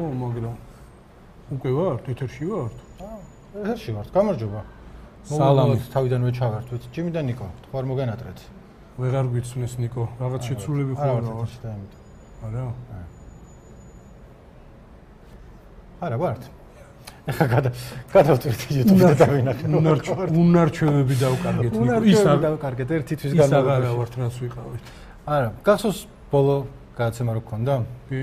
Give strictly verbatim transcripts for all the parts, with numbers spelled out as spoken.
ხო, მაგრამ უკვე ვართ, ეთერში ვართ? აა, ეთერში ვართ, გამარჯობა. სალამი, თავიდანვე ჩავერთვით. ჯიმი და ნიკო, თქვა არ მოგენატრეთ. ვეღარ გვიცნეს ნიკო, რაღაც შეცვლილები ხო არა ვარ. არა? არა ვართ. ეხა გადა გადავწვით YouTube-ზე და ვინახე. უნარჩვევები დავკარგეთ ნიკო. ის არ დავკარგეთ ერთი თვის განმავლობაში. ის არა ვართ რაც ვიყავით. არა, გახსოვს ბოლო გადაცემა რო გქონდა? კი.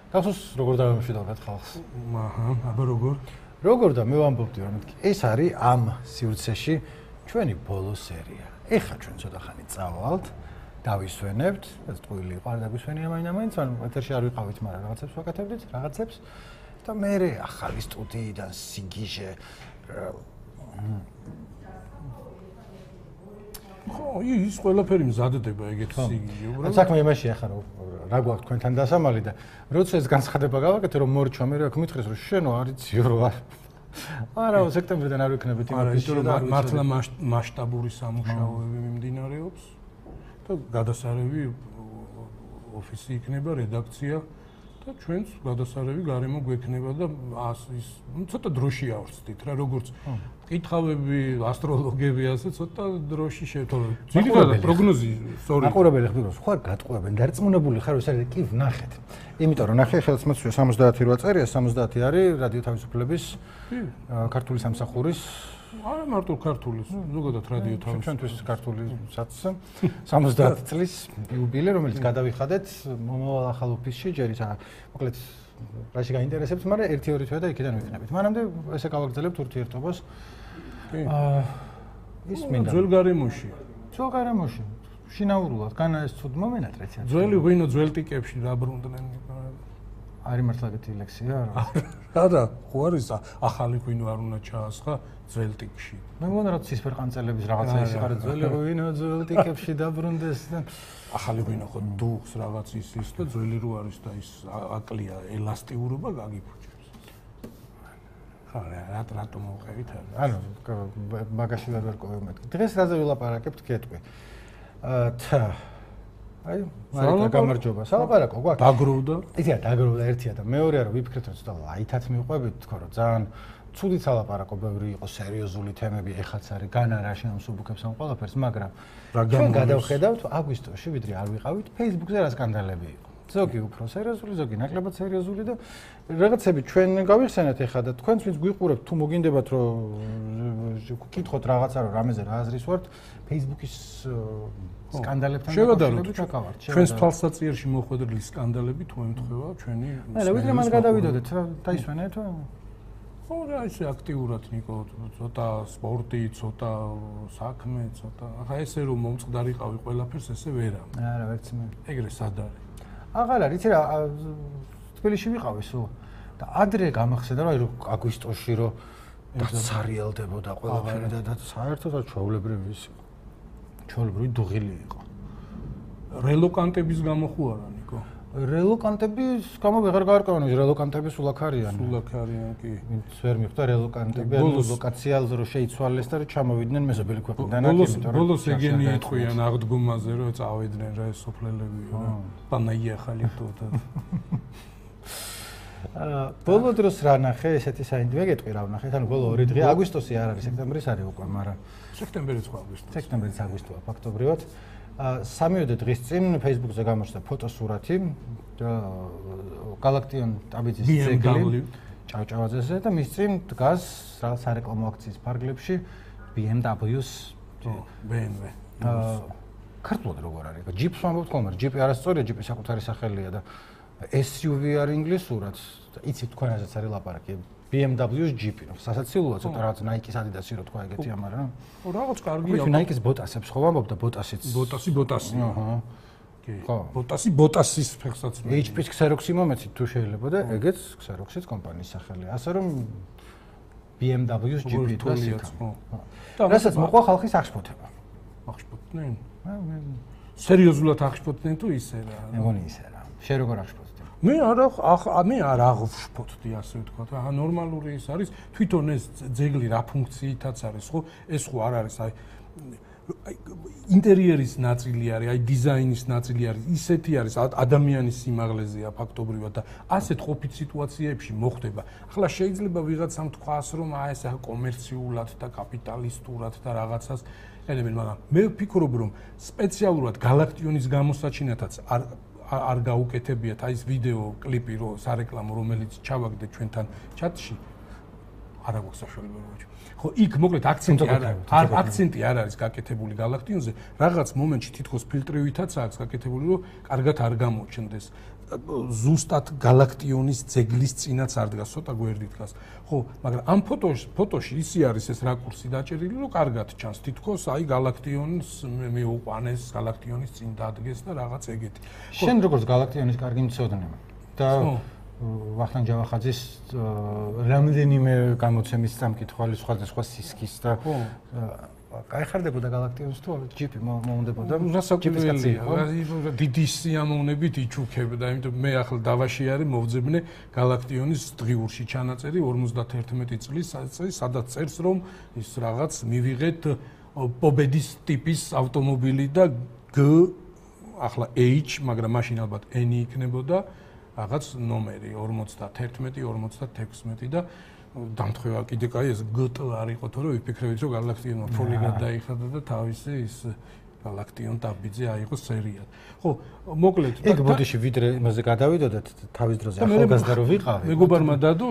გახსოვს როგორ დავემშვიდობთ ხალხს? აჰა, აბა როგორ? როგორ და მე ვამბობდი რომ ეს არის ამ სივრცეში ჩვენი ბოლო სერია. ეხა ჩვენ ცოტა ხანი წავალთ, დავისვენებთ, ეს ტყუილი იყო, არ დაგვისვენია მაინც-მაინც, ანუ ეთერში არ ვიყავით, მაგრამ რაღაცებს ვაკეთებდით, რაღაცებს და მე ახალი სტუდიიდან სიგიჟე ხო, ის ყველაფერი მზადდება ეგეთ სიგიჟე, უბრალოდ. საქმე იმაშია ხარ, რა გვაქვს თქვენთან დასამალი და როცა ეს განცხადება გავაკეთე, რომ მორჩა მე რა გმითხეს, რომ შენო არიციო რო არ. არა, სექტემბრიდან არ ვიქნებით იმაში, რომ მართლა მასშტაბური სამუშაოები მიმდინარეობს და გადასარევი ოფისი იქნება, რედაქცია და ჩვენც გადასარევი გარემო გვექნება და ის ცოტა დროში ავწდით რა, როგორც კითხავები, ასტროლოგები ასე ცოტა დროში შევთვალე. ძირითადად პროგნოზი სწორი. მაყურებელი ხდება, ხო არ გატყუებენ, დარწმუნებული ხარ, ეს არის კი ვნახეთ. იმიტომ რომ ნახე ხელს მოწვია სამოცდაათი რვა წერია, სამოცდაათი არის რადიო თავისუფლების ქართული სამსახურის არა მარტო ქართული, ზოგადად რადიო თავისუფლების ჩვენთვის ქართულისაც სამოცდაათი წლის იუბილე, რომელიც გადავიხადეთ მომავალ ახალ ოფისში, ჯერ ისა მოკლედ რაში გაინტერესებს, მაგრამ ერთი ორი თვე და იქიდან ვიქნებით. მანამდე ესე გავაგრძელებთ ურთიერთობას. აა ის მინდა ძველ გარემოში. ძველ გარემოში. შინაურულად, განა ეს ცუდ მომენატრეც. ძველი ღვინო ძველ ტიკებში რა ბრუნდნენ. არის მართლა ეგეთი ლექსია რა. არა, ხო არის ახალი ღვინო არ უნდა ჩაასხა ძველ ტიკში. მე მგონია რომ ცისფერ ყანწელების რაღაცა ის არის ძველი ღვინო ძველ ტიკებში დაბრუნდეს და ახალი ღვინო ხო დუხს რაღაც ის ის და ძველი რო არის და ის აკლია ელასტიურობა გაგიფუჭებს. ხა რა რატო მოვყევით არა? ანუ მაგაში ვერ ვერკოვებ მეთქი. დღეს რაზე ვილაპარაკებთ კეთყვი. თა აი, მარიკა გამარჯობა. სალაპარაკო გვაქვს. დაგროვდა. იცი რა, დაგროვდა ერთია და მეორეა რომ ვიფიქრეთ რომ ცოტა ლაითად მივყვებით, თქო რომ ძალიან ცუდი სალაპარაკო ბევრი იყო, სერიოზული თემები ეხაც არის, განა რა შეამსუბუქებს ამ ყველაფერს, მაგრამ ჩვენ გადავხედავთ აგვისტოში, ვიდრე არ ვიყავით, Facebook-ზე რა სკანდალები იყო. ზოგი უფრო სერიოზული, ზოგი ნაკლებად სერიოზული და რაღაცები ჩვენ გავიხსენეთ ეხლა და თქვენც ვინც გვიყურებთ, თუ მოგინდებათ რომ გკითხოთ რაღაცა რომ რამეზე რა აზრის ვართ, Facebook-ის სკანდალებთან შევადაროთ. ჩვენს თვალსაჩინოში მოხვედრილი სკანდალები თუ ემთხვევა ჩვენი არა, ვიდრე მან გადავიდოდეთ, დაისვენეთ. ხო, რა ისე აქტიურად ნიკო, ცოტა სპორტი, ცოტა საქმე, ცოტა. ახლა ესე რომ მომწყდარიყავი ყველაფერს ესე ვერა. არა, ვერც მე. ეგრე სად არის? აღარ არის, იცი რა, თბილისში ვიყავი სულ და ადრე გამახსენდა რომ აი რომ აგვისტოში რომ დაცარიელდებოდა ყველაფერი და საერთოდ ჩვეულებრივი ის იყო. ჩვეულებრივი დუღილი იყო. რელოკანტების გამო ხო არა ნიკო? რელოკანტების გამო ვეღარ გავარკვევენ, რელოკანტები სულ აქ არიან. სულ აქ არიან კი. ვინც ვერ მიხვდა რელოკანტები, ანუ ლოკაცია რო შეიცვალეს და რომ ჩამოვიდნენ მეზობელი ქვეყნიდან. ბოლოს ეგენი ეთქვიან აღდგომაზე რომ წავიდნენ რა ეს სოფლელები რა. პანაია ხალი თუთა. აა ბოლო დროს რა ნახე, ესეთი საინდვე გეტყვი რა ვნახეთ, ანუ ბოლო ორი დღე აგვისტოსი არ არის, სექტემბრის არის უკვე, მაგრამ სექტემბერიც ხო აგვისტო. სექტემბერიც აგვისტოა ფაქტობრივად. სამიოდე დღის წინ Facebook-ზე გამოჩნდა ფოტოსურათი გალაქტიონ ტაბიძის ძეგლი ჭავჭავაძეზე და მის წინ დგას რა სარეკლამო აქციის ფარგლებში B M W-ს B M W. ქართულად როგორ არის? ჯიპს ვამბობთ ხოლმე, ჯიპი არასწორია, ჯიპის საკუთარი სახელია და S U V არის ინგლისურად. იცით თქვენ რაზეც არის ლაპარაკი? B M W-ს ჯიპი, სასაცილოა ცოტა რაღაც Nike-ის, Adidas-ი რო თქვა ეგეთი ამარა. ხო, რაღაც კარგია. ხო, Nike-ის ბოტასებს ხო ვამბობ და ბოტასიც. ბოტასი, ბოტასი. აჰა. კი. ბოტასი, ბოტასის ფეხსაც. H P-ს Xerox-ი მომეცით თუ შეიძლება და ეგეც Xerox-ის კომპანიის სახელია. ასე რომ B M W-ს ჯიპი დგას იქ. და რასაც მოყვა ხალხის აღშფოთება. აღშფოთდნენ? სერიოზულად აღშფოთდნენ თუ ისე რა? მე მგონი ისე რა. შენ როგორ აღშფოთდი? მე არა მე არ აღშფოთდი ასე ვთქვა. ახლა ნორმალური ის არის, თვითონ ეს ძეგლი რა ფუნქციითაც არის, ხო? ეს ხო არ არის აი ინტერიერის ნაწილი არის, აი დიზაინის ნაწილი არის, ისეთი არის ადამიანის სიმაღლეზეა ფაქტობრივად და ასეთ ყოფით სიტუაციებში მოხდება. ახლა შეიძლება ვიღაცამ თქვას, რომ აი ეს კომერციულად და კაპიტალისტურად და რაღაცას ელემენტ, მაგრამ მე ვფიქრობ, რომ სპეციალურად გალაქტიონის გამოსაჩინათაც არ არ გაუკეთებიათ აი ეს ვიდეო კლიპი, რო სარეკლამო, რომელიც ჩავაგდეთ ჩვენთან ჩატში. არა გვაქვს საშუალება რა. ხო, იქ მოკლედ აქცენტი არ არის, აქცენტი არ არის გაკეთებული გალაქტიონზე. რაღაც მომენტში თითქოს ფილტრივითაც აქვს გაკეთებული, რომ კარგად არ გამოჩნდეს. ზუსტად გალაქტიონის ძეგლის წინაც არ დგას, ცოტა გვერდი დგას. ხო, მაგრამ ამ ფოტოში, ფოტოში ისი არის ეს რაკურსი დაჭერილი, რომ კარგად ჩანს. თითქოს აი გალაქტიონის მეუყვანეს, გალაქტიონის წინ დადგეს და რაღაც ეგეთი. შენ როგორც გალაქტიონის კარგი მცოდნე და ვახტანგ ჯავახაძის რამდენიმე გამოცემის სამკითხველი სხვადასხვა სისქის და გაიხარდებოდა გალაქტიონს თუ ჯიპი მოუნდებოდა რასაკვირველია დიდი სიამოვნებით იჩუქებდა იმიტომ მე ახლა დავაში არის მოვძებნე გალაქტიონის დღიურში ჩანაწერი ორმოცდაერთმეტი წლის სადაც წერს რომ ის რაღაც მივიღეთ პობედის ტიპის ავტომობილი და G ახლა H მაგრამ მაშინ ალბათ N იქნებოდა რაღაც ნომერი ორმოცდაერთმეტი ორმოცდათექვსმეტი და დამთხევა კიდე კაი ეს G T არ იყო თორე ვიფიქრებით რომ გალაქტიონმა ფოლი გადაიხადა და თავისი ის გალაქტიონ დაბიძე აიღო სერიად. ხო, მოკლედ ეგ ბოდიში ვიდრე იმაზე გადავიდოდეთ თავის დროზე ახალგაზრდა რო ვიყავი. მეგობარმა დადო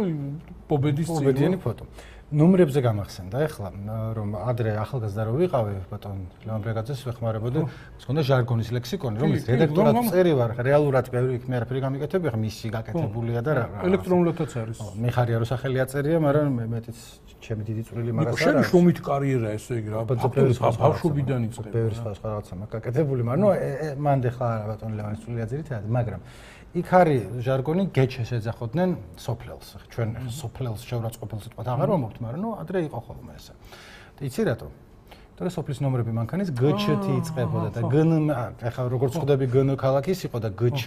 პობედის წიგნი. პობედიანი ფოტო. ნომრებზე გამახსენდა ეხლა რომ ადრე ახალგაზრდა რო ვიყავი ბატონ ლევან ბრეგაძეს ვეხმარებოდა მქონდა ჟარგონის ლექსიკონი რომელიც რედაქტორად წერი ვარ რეალურად ბევრი იქ მე არაფერი გამიკეთები ხა მისი გაკეთებულია და რა ელექტრონულადაც არის მიხარია რო სახელი აწერია მაგრამ მეტიც ჩემი დიდი წვლილი მაგას არა შენ შრომით კარიერა ესე იგი რა ბავშვობიდან იწყება ბევრი სხვა სხვა რაღაცა მაგაკეთებული მაგრამ ნუ მანდ ეხლა არა ბატონ ლევანის წვლილია ძირითადად მაგრამ იქ არის ჟარგონი გეჩეს ეძახოდნენ სოფლელს. ჩვენ სოფლელს შევრაცხყოფილ სიტყვად აღარ ვამბობთ, მაგრამ ნუ ადრე იყო ხოლმე ესე. და იცი რატო? თორე სოფლის ნომრები მანქანის გჩ-ი იწყებოდა და გნ ახლა როგორც ხვდები გნ ქალაქის იყო და გჩ,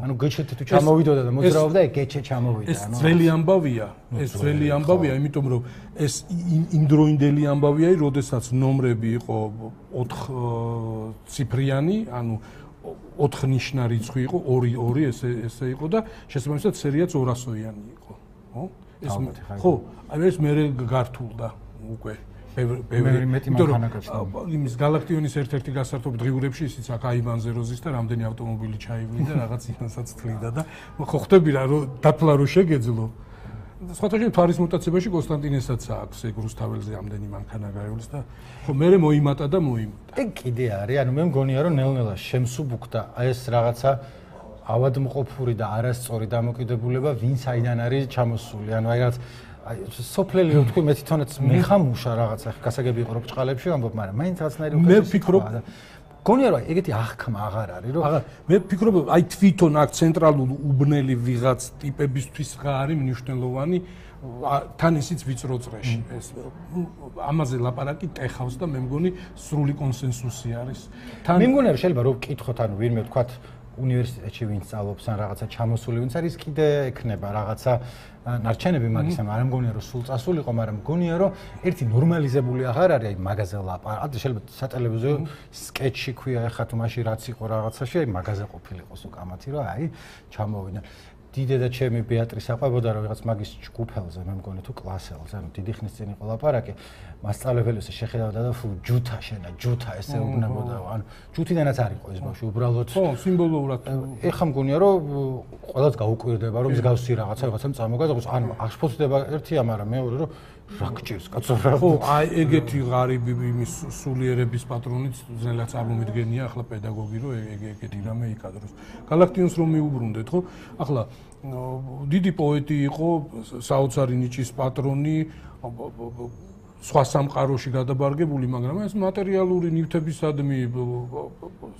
ანუ გჩ-ი თუ ჩამოვიდოდა და მოძრაობდა, გჩ ჩამოვიდა, ანუ ეს ძველი ამბავია, ეს ძველი ამბავია, იმიტომ რომ ეს იმდროინდელი ამბავია, როდესაც ნომრები იყო ოთხ ციფრიანი, ანუ ოთხნიშნა რიცხვი იყო ორი ორი ესე ესე იყო და შესაბამისად სერიაც ორასოიანი იყო ხო ეს ხო აი ეს მე გართულდა უკვე ბევრი მეტი მანქანა გაჩნდა იმის გალაქტიონის ერთ-ერთი გასართობ დღიურებში ისიც აქ აივანზე როზის და რამდენი ავტომობილი ჩაივლიდა რაღაც იმასაც თლიდა და ხო ხვდები რა რომ დათლა რო შეგეძლო სხვათა შორის თვარის მუტაციაში კონსტანტინესაც აქვს ეგ რუსთაველზე ამდენი მანქანა გაივლის და ხო მე მოიმატა და მოიმატა. ეგ კიდე არის, ანუ მე მგონია რომ ნელ-ნელა შემსუბუქდა ეს რაღაცა ავადმყოფური და არასწორი დამოკიდებულება ვინ საიდან არის ჩამოსული. ანუ აი რაღაც აი სოფლელი რო თქვი მე თვითონაც მეხამუშა რაღაცა გასაგები იყო რომ ბჭყალებში ვამბობ, მაგრამ მაინც რაღაცნაირი უკვე მე ვფიქრობ გონია რომ ეგეთი აღქმა აღარ არის რომ აღარ მე ვფიქრობ აი თვითონ აქ ცენტრალურ უბნელი ვიღაც ტიპებისთვის რა არის მნიშვნელოვანი თან ისიც ვიწრო წრეში ეს ამაზე ლაპარაკი ტეხავს და მე მგონი სრული კონსენსუსი არის თან მე მგონია რომ შეიძლება რომ ვკითხოთ ანუ ვინმე ვთქვათ უნივერსიტეტში ვინც სწავლობს ან რაღაცა ჩამოსული ვინც არის კიდე ექნება რაღაცა ნარჩენები მაგის ანუ არ მგონია რომ სულ წასულიყო მაგრამ მგონია რომ ერთი ნორმალიზებული აღარ არის აი მაგაზე ლაპარაკი შეიძლება სატელევიზიო სკეჩი ქვია ეხლა თუ მაშინ რაც იყო რაღაცაში აი მაგაზე ყოფილიყოს უკამათი რომ აი ჩამოვიდნენ დიდედა ჩემი ბეატრის აყვებოდა რომ ვიღაც მაგის ჯგუფელზე მე მგონი თუ კლასელზე ანუ დიდი ხნის წინ იყო ლაპარაკი მასწავლებელს შეხედავდა და ფუ ჯუთა შენა ჯუთა ესე უბნებოდა ანუ ჯუთიდანაც არ იყო ეს ბავშვი უბრალოდ ხო სიმბოლურად ეხა მგონია რომ ყველაც გაუკვირდება რომ მსგავსი რაღაცა რაღაცამ წამოგადაღოს ანუ აღშფოთდება ერთია მაგრამ მეორე რომ რა გჭირს კაცო რა ხო აი ეგეთი ღარიბი იმის სულიერების პატრონიც ძნელად წარმომიდგენია ახლა პედაგოგი რომ ეგ ეგეთი რამე იკადროს გალაქტიონს რომ მიუბრუნდეთ ხო ახლა დიდი პოეტი იყო საოცარი ნიჭის პატრონი სხვა სამყაროში გადაბარგებული, მაგრამ ეს მატერიალური ნივთებისადმი,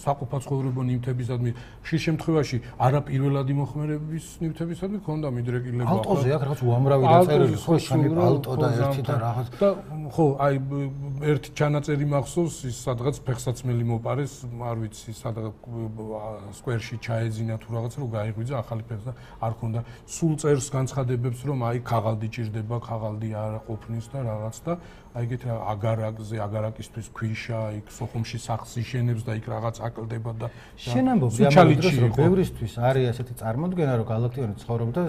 საყოფაცხოვრებო ნივთებისადმი, ხშირ შემთხვევაში არა პირველადი მოხმარების ნივთებისადმი ქონდა მიდრეკილება. ალტოზე აქ რაღაც უამრავი დაწერილი, ხო, შენი ალტო და ერთი და რაღაც. და ხო, აი ერთი ჩანაწერი მახსოვს, ის სადღაც ფეხსაცმელი მოპარეს, არ ვიცი, სადღაც სკვერში ჩაეძინა თუ რაღაც, რომ გაიღვიძა ახალი ფეხს და არ ქონდა. სულ წერს განცხადებებს, რომ აი ქაღალდი ჭირდება, ქაღალდი არ ყოფნის და რაღაც და აი ეგეთ აგარაკზე, აგარაკისთვის ქვიშა, იქ სოხუმში სახლს იშენებს და იქ რაღაც აკლდება და შენ ამბობ ამავდროულად რომ ბევრისთვის არის ასეთი წარმოდგენა რომ galaktion ცხოვრობდა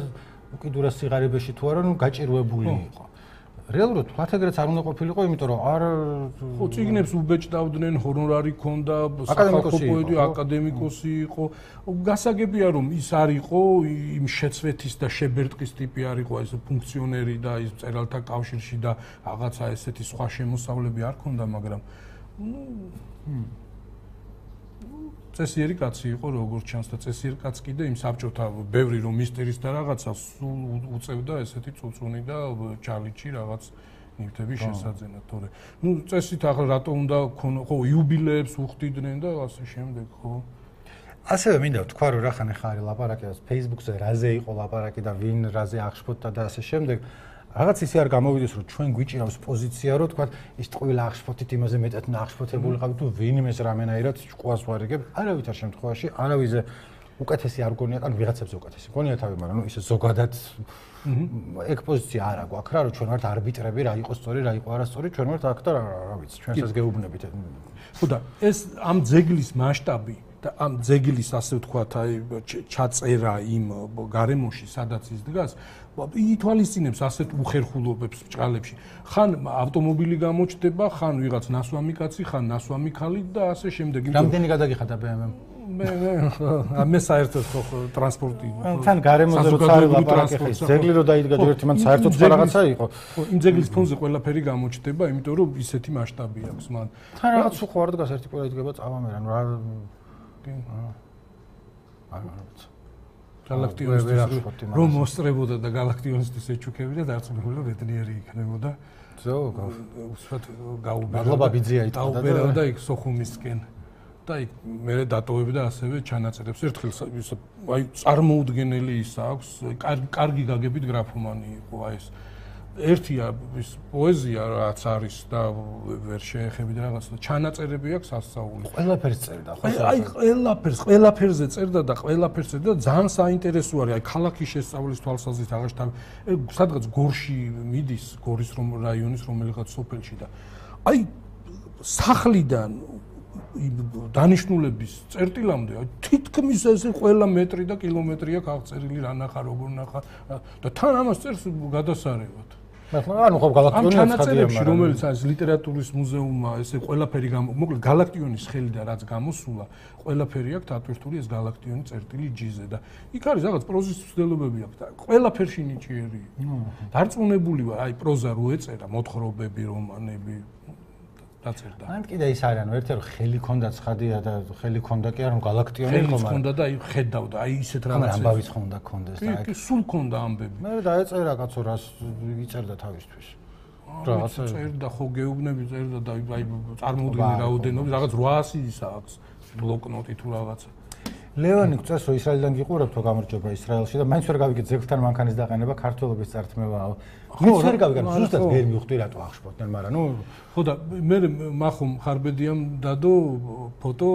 უკიდურეს სიღარიბეში თუ არა, ნუ გაჭირვებული იყო. რეალურად ფლათეგრეც არ უნდა ყოფილიყო, იმიტომ რომ არ ხო წიგნებს უბეჭდავდნენ, ჰონორარი ჰქონდა, სახალხო პოეტი, აკადემიკოსი იყო. გასაგებია რომ ის არ იყო იმ შეცვეთის და შებერტყის ტიპი არ იყო, ეს ფუნქციონერი და ის მწერალთა კავშირში და რაღაცა ესეთი სხვა შემოსავლები არ ჰქონდა, მაგრამ წესიერი კაცი იყო როგორც ჩანს და წესიერი კაცი კიდე იმ საბჭოთა ბევრი რომ მისტერის და რაღაცა სულ უწევდა ესეთი წუწუნი და ჩალიჩი რაღაც ნივთების შესაძენად, თორე ნუ წესით ახლა რატო უნდა ხო იუბილეებს უხდიდნენ და ასე შემდეგ, ხო? ასევე მინდა ვთქვა რომ რა ხან ხარი ლაპარაკი Facebook-ზე რაზე იყო ლაპარაკი და ვინ რაზე აღშფოთდა და ასე შემდეგ. რაღაც ისე არ გამოვიდეს რომ ჩვენ გვიჭირავს პოზიცია რომ თქვა ის ყველა აღშფოთით იმაზე მეტად ნახშფოთებული ყავით თუ ვინმეს რამენაირად ჭყვას ვარიგებ არავითარ შემთხვევაში არავიზე უკეთესი არ გონია ან ვიღაცებზე უკეთესი გონია თავი მაგრამ ნუ ისე ზოგადად ეგ პოზიცია არ აქვს რა რომ ჩვენ ვართ არბიტრები რა იყო სწორი რა იყო არასწორი ჩვენ ვართ აქ და რა ვიცი ჩვენსაც გეუბნებით ხო და ეს ამ ძეგლის მასშტაბი და ამ ძეგლის ასე ვთქვათ აი ჩაწერა იმ გარემოში სადაც ის დგას ითვალისწინებს ასეთ უხერხულობებს ბჭყალებში ხან ავტომობილი გამოჩდება ხან ვიღაც ნასვამი კაცი ხან ნასვამი ქალი და ასე შემდეგ რამდენი გადაგიხადა ბე ემ მე მე მე საერთოდ ხო ტრანსპორტი თან გარემოზე როცა არის ლაპარაკი ხე ძეგლი რო დაიდგა ერთი მან საერთოდ სხვა რაღაცა იყო იმ ძეგლის ფონზე ყველაფერი გამოჩდება იმიტომ რომ ისეთი მასშტაბი აქვს მან თან რაღაც უხوار დგას ერთი ყველა იდგება წავამერან რა აა galaktionistis რომ მოსწრებოდა და galaktionistis ეჩუქებიდა დარწმუნებული ბედნიერი იქნებოდა ზოგ უსვათ გაუბერდა მადლობა ბიძია იტყოდა და იქ სოხუმისკენ და იქ მე დატოვებდა ასევე ჩანაწერებს ერთხელ აი წარმოუდგენელი ის აქვს კარგი გაგებით გრაფომანი იყო აი ეს ერთია ის პოეზია რაც არის და ვერ შეეხებით რაღაც და ჩანაწერები აქვს ასწაული. ყველაფერს წერდა ხო? აი ყველაფერს, ყველაფერზე წერდა და ყველაფერს წერდა და ძალიან საინტერესო არის აი ქალაქის შესწავლის თვალსაზრისით აღაშთა სადღაც გორში მიდის, გორის რომ რაიონის რომელიღაც სოფელში და აი სახლიდან დანიშნულების წერტილამდე თითქმის ესე ყველა მეტრი და კილომეტრი აქვს აღწერილი რა ნახა როგორ ნახა და თან ამას წერს გადასარევად. ანუ ხო galaktionis ჩანაწერებში რომელიც არის ლიტერატურის მუზეუმმა ესე ყველაფერი მოკლედ galaktionis ხელიდან რაც გამოსულა ყველაფერი აქვს დატვირთული ეს galaktioni წერტილი ჯიზე და იქ არის რაღაც პროზის ცვლილებები აქვს და ყველაფერში ნიჭიერი დარწმუნებული ვარ აი პროზა რო ეწერა მოთხრობები რომანები დაწერდა. ან კიდე ის არის ანუ ერთი რომ ხელი ქონდა ცხადია და ხელი ქონდა კი არა რომ galaktioni იყო მაგრამ ქონდა და აი ხედავდა აი ისეთ რაღაცებს ამბავის ხონდა ქონდეს და აი სულ ქონდა ამბები მე დაეწერა კაცო რას იწერდა თავისთვის რაღაცა წერდა ხო გეუბნები წერდა და აი წარმოუდგენელი რაოდენობით რაღაც რვაასი აქვს ბლოკნოტი თუ რაღაცა ლევანი გწევს რომ ისრაელიდან გიყურებთ თუ გამარჯობა ისრაელში და მაინც ვერ გავიგეთ ზეგლთან მანქანის დაყენება ქართველობის წართმევაა ხო ვერ გავიგეთ ზუსტად ვერ მივხვდი რატო აღშფოთდნენ მაგრამ ნუ ხო და მე მახომ ხარბედიამ დადო ფოტო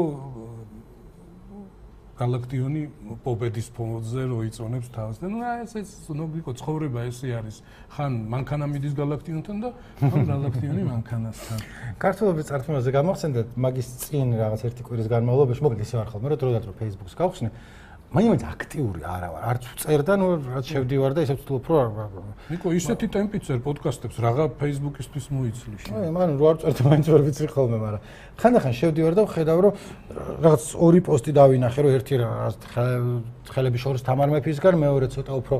galaktioni პობედის ფონზე რო იწონებს თავს და ნუ ეს ეს ნობიკო ცხოვრება ესე არის ხან მანქანა მიდის galaktionთან და ხან galaktioni მანქანასთან ქართველობის წართმევაზე გამახსენდეთ მაგის წინ რაღაც ერთი კვირის განმავლობაში მოკლედ ისე ვარ ხოლმე რომ დროდადრო რო Facebook-ს გავხსნე მაინც აქტიური არა ვარ არც წერდა ნუ რაც შევდივარ და ისე ვთვლობ რომ ნიკო ისეთი ტემპით წერ პოდკასტებს რაღაცა Facebook-ისთვის მოიცლი შენ აი მან რო არ წერდა მაინც ვერ ვიცი ხოლმე მაგრამ ხანდახან შევდივარ და ვხედავ რომ რაღაც ორი პოსტი დავინახე რომ ერთი რაღაც ხელების შორის თამარ მეფისგან მეორე ცოტა უფრო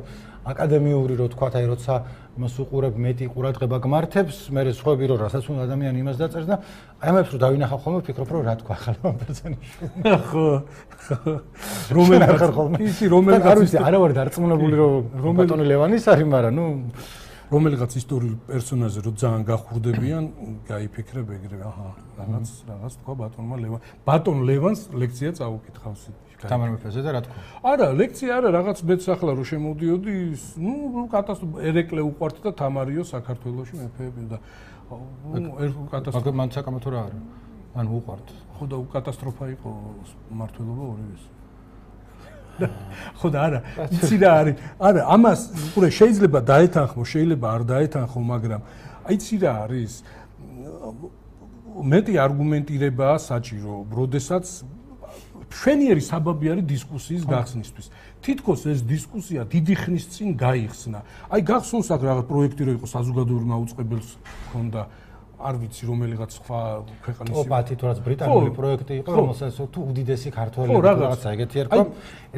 აკადემიური რო თქვა აი როცა მას უყურებ მეტი ყურადღება გმართებს მე სხვები რომ რასაც უნდა ადამიანი იმას დაწერს და აი ამებს რო დავინახავ ხოლმე ვფიქრობ რომ რა თქვა ხალხო პერსონიში ხო რომელი ხარ ხოლმე ისი რომელი არ ვიცი არა ვარ დარწმუნებული რომ ბატონი ლევანის არის მაგრამ ნუ რომელიღაც ისტორიულ პერსონაჟზე რო ძალიან გახურდებიან გაიფიქრებ ეგრევე აჰა რაღაც რაღაც თქვა ბატონმა ლევან ბატონ ლევანს ლექცია წაუკითხავს თამარ მეფეზე და რა თქვა? არა, ლექცია არა, რაღაც მეც ახლა რო შემოდიოდი, ნუ კატასტროფა ერეკლე უყვართ და თამარიო საქართველოში მეფეები და ნუ კატასტროფა. მაგრამ მან საკამათო რა არის? ან უყვართ. ხო და კატასტროფა იყო მართლობა ორივეს. ხო და არა, იცი რა არის? არა, ამას უყურე შეიძლება დაეთანხმო, შეიძლება არ დაეთანხმო, მაგრამ აიცი რა არის? მეტი არგუმენტირებაა საჭირო, როდესაც მშვენიერი საბაბი არის დისკუსიის გახსნისთვის. თითქოს ეს დისკუსია დიდი ხნის წინ გაიხსნა. აი გახსოვს აქ რაღაც პროექტი რო იყო საზოგადოებრივ მაუწყებელს ჰქონდა არ ვიცი რომელიღაც სხვა ქვეყნის ოპათი თუ რაც ბრიტანული პროექტი იყო რომელსაც თუ უდიდესი ქართველი რაღაცა ეგეთი ერქვა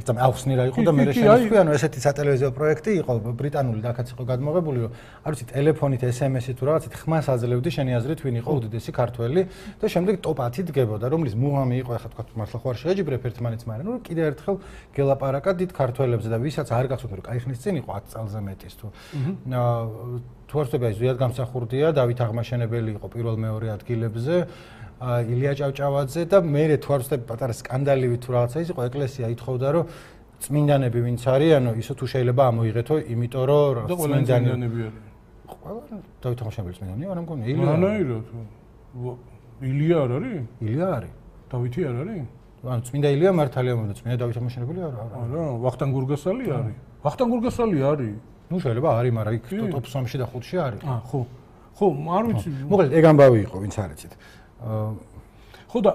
ერთამ ახსნი რა იყო და მე შემოხვი ანუ ესეთი სატელევიზიო პროექტი იყო ბრიტანული დაკაც იყო გადმოღებული რომ არ ვიცი ტელეფონით ესემესი თუ რაღაცით ხმას აძლევდი შენი აზრით ვინ იყო უდიდესი ქართველი და შემდეგ ტოპ-ათი დგებოდა რომლის მუღამი იყო ახლა თქვა მართლა ხო არ შეეჯიბრებ ერთმანეთს მაგრამ ნუ კიდე ერთხელ გელაპარაკა დიდ ქართველებზე და ვისაც არ გახსოვთ რომ კაი ხნის წინ იყო ათი წელზე მეტის თუ თუ არ ვთქვი ზუსტად გამსახურდია დავით აღმაშენებელი იყო პირველ მეორე ადგილებზე ილია ჭავჭავაძე და მე თუ არ ვთქვი პატარა სკანდალივი თუ რაღაცა ის იყო ეკლესია ითხოვდა რომ წმინდანები ვინც არიანო ისო თუ შეიძლება ამოიღეთო იმიტომ რომ წმინდანები არის ყველა დავით აღმაშენებელი წმინდანია არა მგონი ილია ანაირო თუ ილია არ არის ილია არის დავითი არ არის ანუ წმინდა ილია მართალია მომდა წმინდა დავით აღმაშენებელი არა არა ვახტანგ გურგასალი არის ვახტანგ გურგასალი არის ну შეიძლება არის მაგრამ იქ ტოპ სამში და ხუთში არის აა ხო ხო არ ვიცი მოკლედ ეგ ამბავი იყო ვინც არ იცით ხო და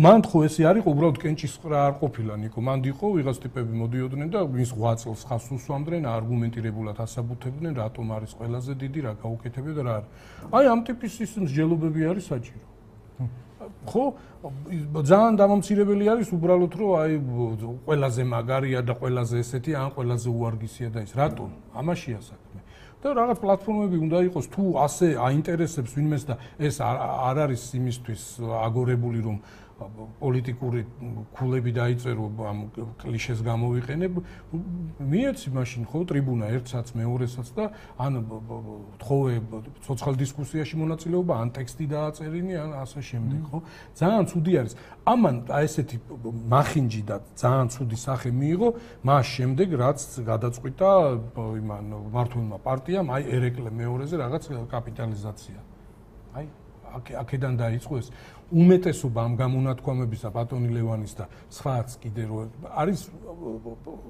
მან ხო ესე არ იყო უბრალოდ კენჭისყრა არ ყოფილა ნიკო მან იყო ვიღაც ტიპები მოდიოდნენ და მის ღვაწ წელს ხას უსვამდნენ არგუმენტირებულად ასაბუთებდნენ რატომ არის ყველაზე დიდი რა გაუკეთებია და რა არის აი ამ ტიპის ის მსჯელობები არის საჭირო ხო ძალიან დამამცირებელი არის უბრალოდ რომ აი ყველაზე მაგარია და ყველაზე ესეთი ან ყველაზე უარგისია და ის რატომ ამაშია საქმე და რაღაც პლატფორმები უნდა იყოს თუ ასე აინტერესებს ვინმეს და ეს არ არის იმისთვის აგორებული რომ პოლიტიკური ქულები დაიწერო ამ კლიშეს გამოვიყენებ მიეცი მაშინ ხო ტრიბუნა ერთსაც მეორესაც და ან თხოვე სოციალ დისკუსიაში მონაწილეობა ან ტექსტი დააწერინი ან ასე შემდეგ ხო ძალიან ცუდი არის ამან ესეთი მახინჯი და ძალიან ცუდი სახე მიიღო მას შემდეგ რაც გადაწყვიტა იმან მართლმა პარტიამ აი ერეკლე მეორეზე რაღაც კაპიტალიზაცია აი აქედან დაიწყო ეს უმეტესობა ამ გამონათქვამებისა ბატონი ლევანის და სხვაც კიდე რო არის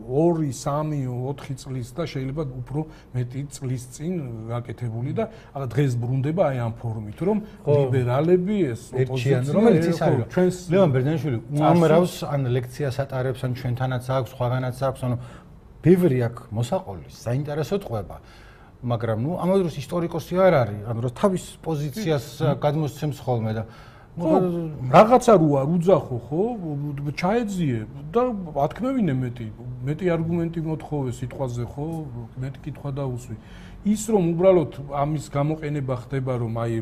ორი, სამი, ოთხი წლის და შეიძლება უფრო მეტი წლის წინ გაკეთებული და დღეს ბრუნდება აი ამ ფორმით რომ ლიბერალები ეს ოპოზიცია რომელიც ის არის ჩვენს ლევან ბერძენიშვილი უამრავს ან ლექციას ატარებს ან ჩვენთანაც აქვს სხვაგანაც აქვს ანუ ბევრი აქვს მოსაყოლის საინტერესო ტყვება მაგრამ ნუ ამ დროს ისტორიკოსი არ არის ანუ რომ თავის პოზიციას გადმოსცემს ხოლმე და რაღაცა რო არ უძახო ხო ჩაეძიე და ათქმევინე მეტი მეტი არგუმენტი მოთხოვე სიტყვაზე ხო მეტი კითხვა დაუსვი ის რომ უბრალოდ ამის გამოყენება ხდება რომ აი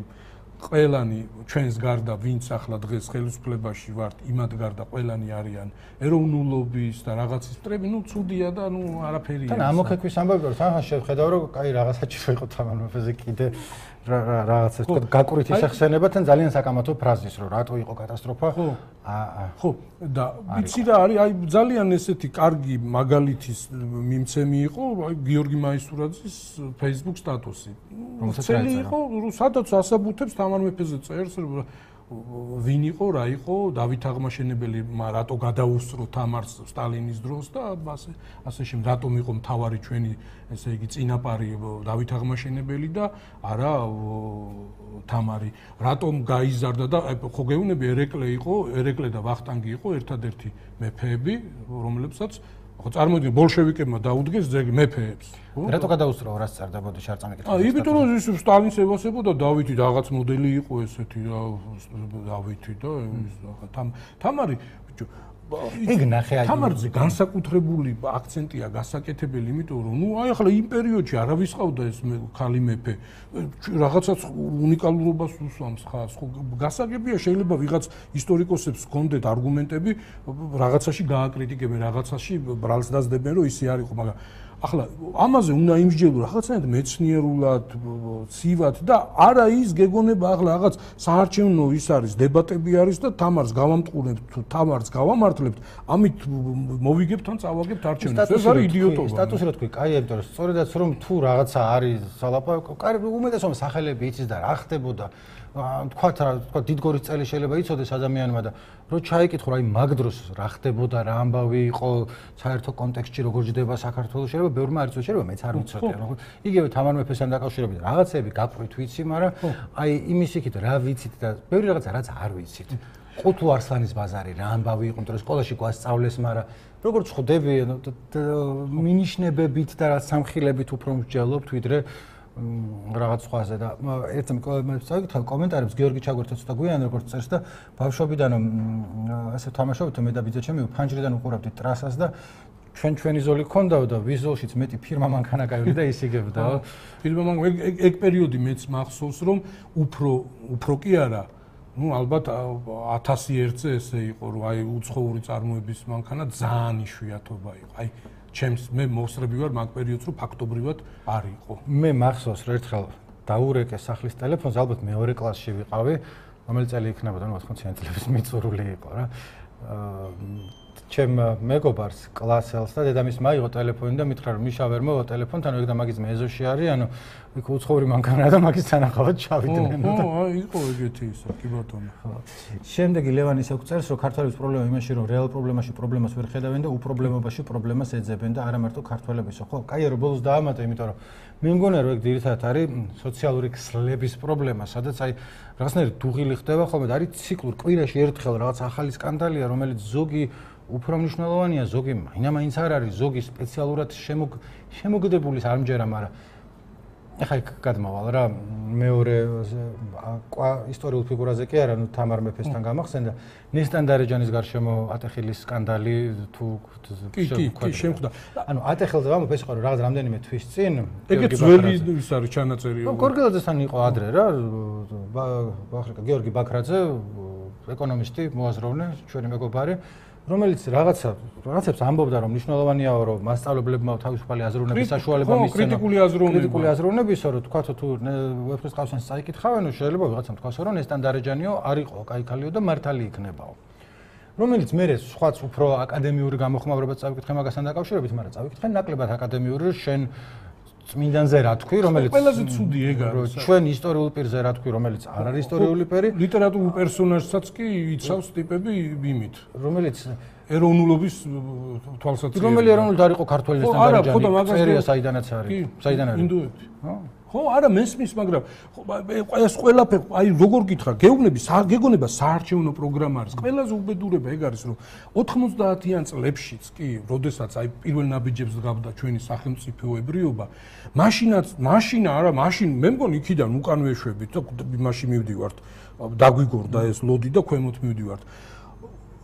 ყველანი ჩვენს გარდა ვინც ახლა დღეს ხელისუფლებაში ვართ იმად გარდა ყველანი არიან ეროვნულობის და რაღაცის მტრები ნუ ცუდია და ნუ არაფერია თან ამოქეკვის ამბავი რომ თან შეხედავ რომ კაი რაღაცა შეიძლება იყო თამარ მეფეზე კიდე რაღაცა თქო გაკურით ისახსენება თან ძალიან საკამათო ფრაზის რომ რატო იყო კატასტროფა ხო აა ხო და ვიცი რა არის აი ძალიან ესეთი კარგი მაგალითის მიმცემი იყო აი გიორგი მაისურაძის Facebook სტატუსი ცელი იყო სადაც ასაბუთებს თამარ მეფეზე წერს ვინ იყო რა იყო დავით აღმაშენებელი რატო გადაუსწრო თამარს სტალინის დროს და ასე ასე შემდეგ რატომ იყო მთავარი ჩვენი ესე იგი წინაპარი დავით აღმაშენებელი და არა თამარი რატომ გაიზარდა და ხო გეუბნები ერეკლე იყო ერეკლე და ვახტანგი იყო ერთადერთი მეფეები რომლებსაც ხო წარმოიდგინე ბოლშევიკებმა დაუდგეს ძეგლი მეფეებს რატო გადაუსწრო რას წარდებოდა შარწამეკითხა აა იმიტომ რომ ის სტალინს ევასებოდა დავითი რაღაც მოდელი იყო ესეთი რა დავითი და თამარი ეგ ნახე აი თამარზე განსაკუთრებული აქცენტია გასაკეთებელი იმიტომ რომ ნუ აი ახლა იმ პერიოდში არავის ყავდა ეს ხალი მეფე რაღაცა უნიკალურობას უსვამს ხას ხო გასაგებია შეიძლება ვიღაც ისტორიკოსებს ჰქონდეთ არგუმენტები რაღაცაში გააკრიტიკებენ რაღაცაში ბრალს დაძდებენ რომ ისე არ იყო მაგრამ ახლა ამაზე უნდა იმსჯელო რაღაცნაირად მეცნიერულად, ცივად და არა ის გეგონება ახლა რაღაც საარჩევნო ის არის, დებატები არის და თამარს გავამტყურებთ თუ თამარს გავამართლებთ, ამით მოვიგებთ ან წავაგებთ არჩევნებს. ეს არის იდიოტობა. სტატუსი რა თქვი, კაი, იმიტომ რომ სწორედაც რომ თუ რაღაცა არის სალაპარაკო, კაი უმეტესობა სახელები იცის და რა ხდებოდა თქვათ რა, თქვათ დიდგორის წელი შეიძლება იცოდეს ადამიანმა და რო ჩაიკითხო რა იმ მაგ დროს რა ხდებოდა, რა ამბავი იყო საერთო კონტექსტში როგორ ჯდება საქართველოს, შეიძლება ბევრმა არ იცოდეს, შეიძლება მეც არ ვიცოდი. ანუ იგივე თამარ მეფესთან დაკავშირებით რაღაცები გაყვით ვიცი, მაგრამ აი იმის იქით რა ვიცით და ბევრი რაღაცა რაც არ ვიცით. ყუთუ არსლანის ბაზარი რა ამბავი იყო, იმიტომ რომ სკოლაში გვასწავლეს, მაგრამ როგორც ხვდები, მინიშნებებით და რაც სამხილებით უფრო მსჯელობთ, ვიდრე რაღაც სხვაზე და ერთ წავიკითხავ კომენტარებს გიორგი ჩაგვერთოც და გვიან როგორც წერს და ბავშვობიდან ასე თამაშობთ მე და ბიძაჩემი ფანჯრიდან უყურავდით ტრასას და ჩვენ ჩვენი ზოლი ქონდაო და ვიზოლშიც მეტი ფირმა მანქანაკავი და ისიგებდაო. ფირმა მან ეგ პერიოდი მეც მახსოვს რომ უფრო უფრო კი არა ну ალბათ ათასი ერთზე ესე იყო რომ აი უცხოური წარმოების მანქანა ძალიან იშვიათობა იყო. აი ჩემს მე მოსრები ვარ მაგ პერიოდს რომ ფაქტობრივად არ იყო. მე მახსოვს რომ ერთხელ დაურეკე სახლის ტელეფონს, ალბათ მეორე კლასში ვიყავი, რომელი წელი იქნებოდა, ну ოთხმოციანი წლების მიწურული იყო რა. ჩემ მეგობარს კლასელს და დედამისმა მაიღო ტელეფონი და მითხრა რომ მიშა ვერ მოვა ტელეფონთან, ეგ და მაგის მეზოში არის, ანუ იქ უცხოური მანქანა და მაგის თანახავად ჩავიდნენ. ო, აი იყო ეგეთი ისა, კი ბატონო. შემდეგი ლევანი ისე წერს, რომ ქართველების პრობლემა იმაში, რომ რეალ პრობლემაში პრობლემას ვერ ხედავენ და უპრობლემობაში პრობლემას ეძებენ და არა მარტო ქართველებისო. ხო, კაია რომ ბოლოს დაამატე, იმიტომ რომ მე მგონია რომ ეგ ძირითადად არის სოციალური ქსლების პრობლემა, სადაც აი რაღაცნაირი დუღილი ხდება ხოლმე და არის ციკლური კვირაში ერთხელ რაღაც ახალი სკანდალია, რომელიც ზოგი უფრო მნიშვნელოვანია, ზოგი მაინც არ არის, ზოგი სპეციალურად შემოგდებული არ მჯერა, მაგრამ ეხლა იქ გადმავალ რა, მეორე ისტორიულ ფიგურაზე კი არა, ნუ თამარ მეფესთან გამახსენდა, ნესტან დარეჯანის გარშემო ატეხილის სკანდალი თუ კი კი კი შემხვდა. ანუ ატეხილზე ვამბობ ეს იყო რაღაც რამდენიმე თვის წინ, ეგეც ძველი ის არის ჩანაწერი. გორგელაძესთან იყო ადრე რა, ბახრიკა გიორგი ბაქრაძე, ეკონომისტი, მოაზროვნე, ჩვენი მეგობარი რომელიც რაღაცა რაღაცებს ამბობდა რომ მნიშვნელოვანია რომ მასწავლებლებმა თავისუფალი აზროვნების საშუალება მისცენ კრიტიკული აზროვნება კრიტიკული აზროვნებისო რომ თქვათ თუ ვეფხისტყაოსანს ყავსანს წაიკითხავენ შეიძლება ვიღაცამ თქვას რომ ნესტან დარეჯანიო არ იყო კაიქალიო და მართალი იქნებაო რომელიც მე სხვაც უფრო აკადემიური გამოხმაურებაც წავიკითხე მაგასთან დაკავშირებით მაგრამ წავიკითხე ნაკლებად აკადემიური შენ წმინდანზე რა თქვი რომელიც ყველაზე ცუდი ეგ არის ჩვენ ისტორიულ პირზე რა თქვი რომელიც არ არის ისტორიული პერი ლიტერატურულ პერსონაჟსაც კი იცავს ტიპები იმით რომელიც ეროვნულობის თვალსაჩინო რომელი ეროვნული არ იყო ქართველისთან დარეჯანი წერია საიდანაც არის საიდან არის ინდოეთი ხო არა მესმის მაგრამ ეს ყველაფერი აი როგორ გითხრა გეუბნები გეგონება საარჩევნო პროგრამა არის ყველაზე უბედურება ეგ არის რომ ოთხმოცდაათიან წლებშიც კი როდესაც აი პირველ ნაბიჯებს გავდა ჩვენი სახელმწიფოებრიობა მაშინაც მაშინა არა მაშინ მე მგონი იქიდან უკან ვეშვებით და მაშინ მივდივართ დაგვიგორდა ეს ლოდი და ქვემოთ მივდივართ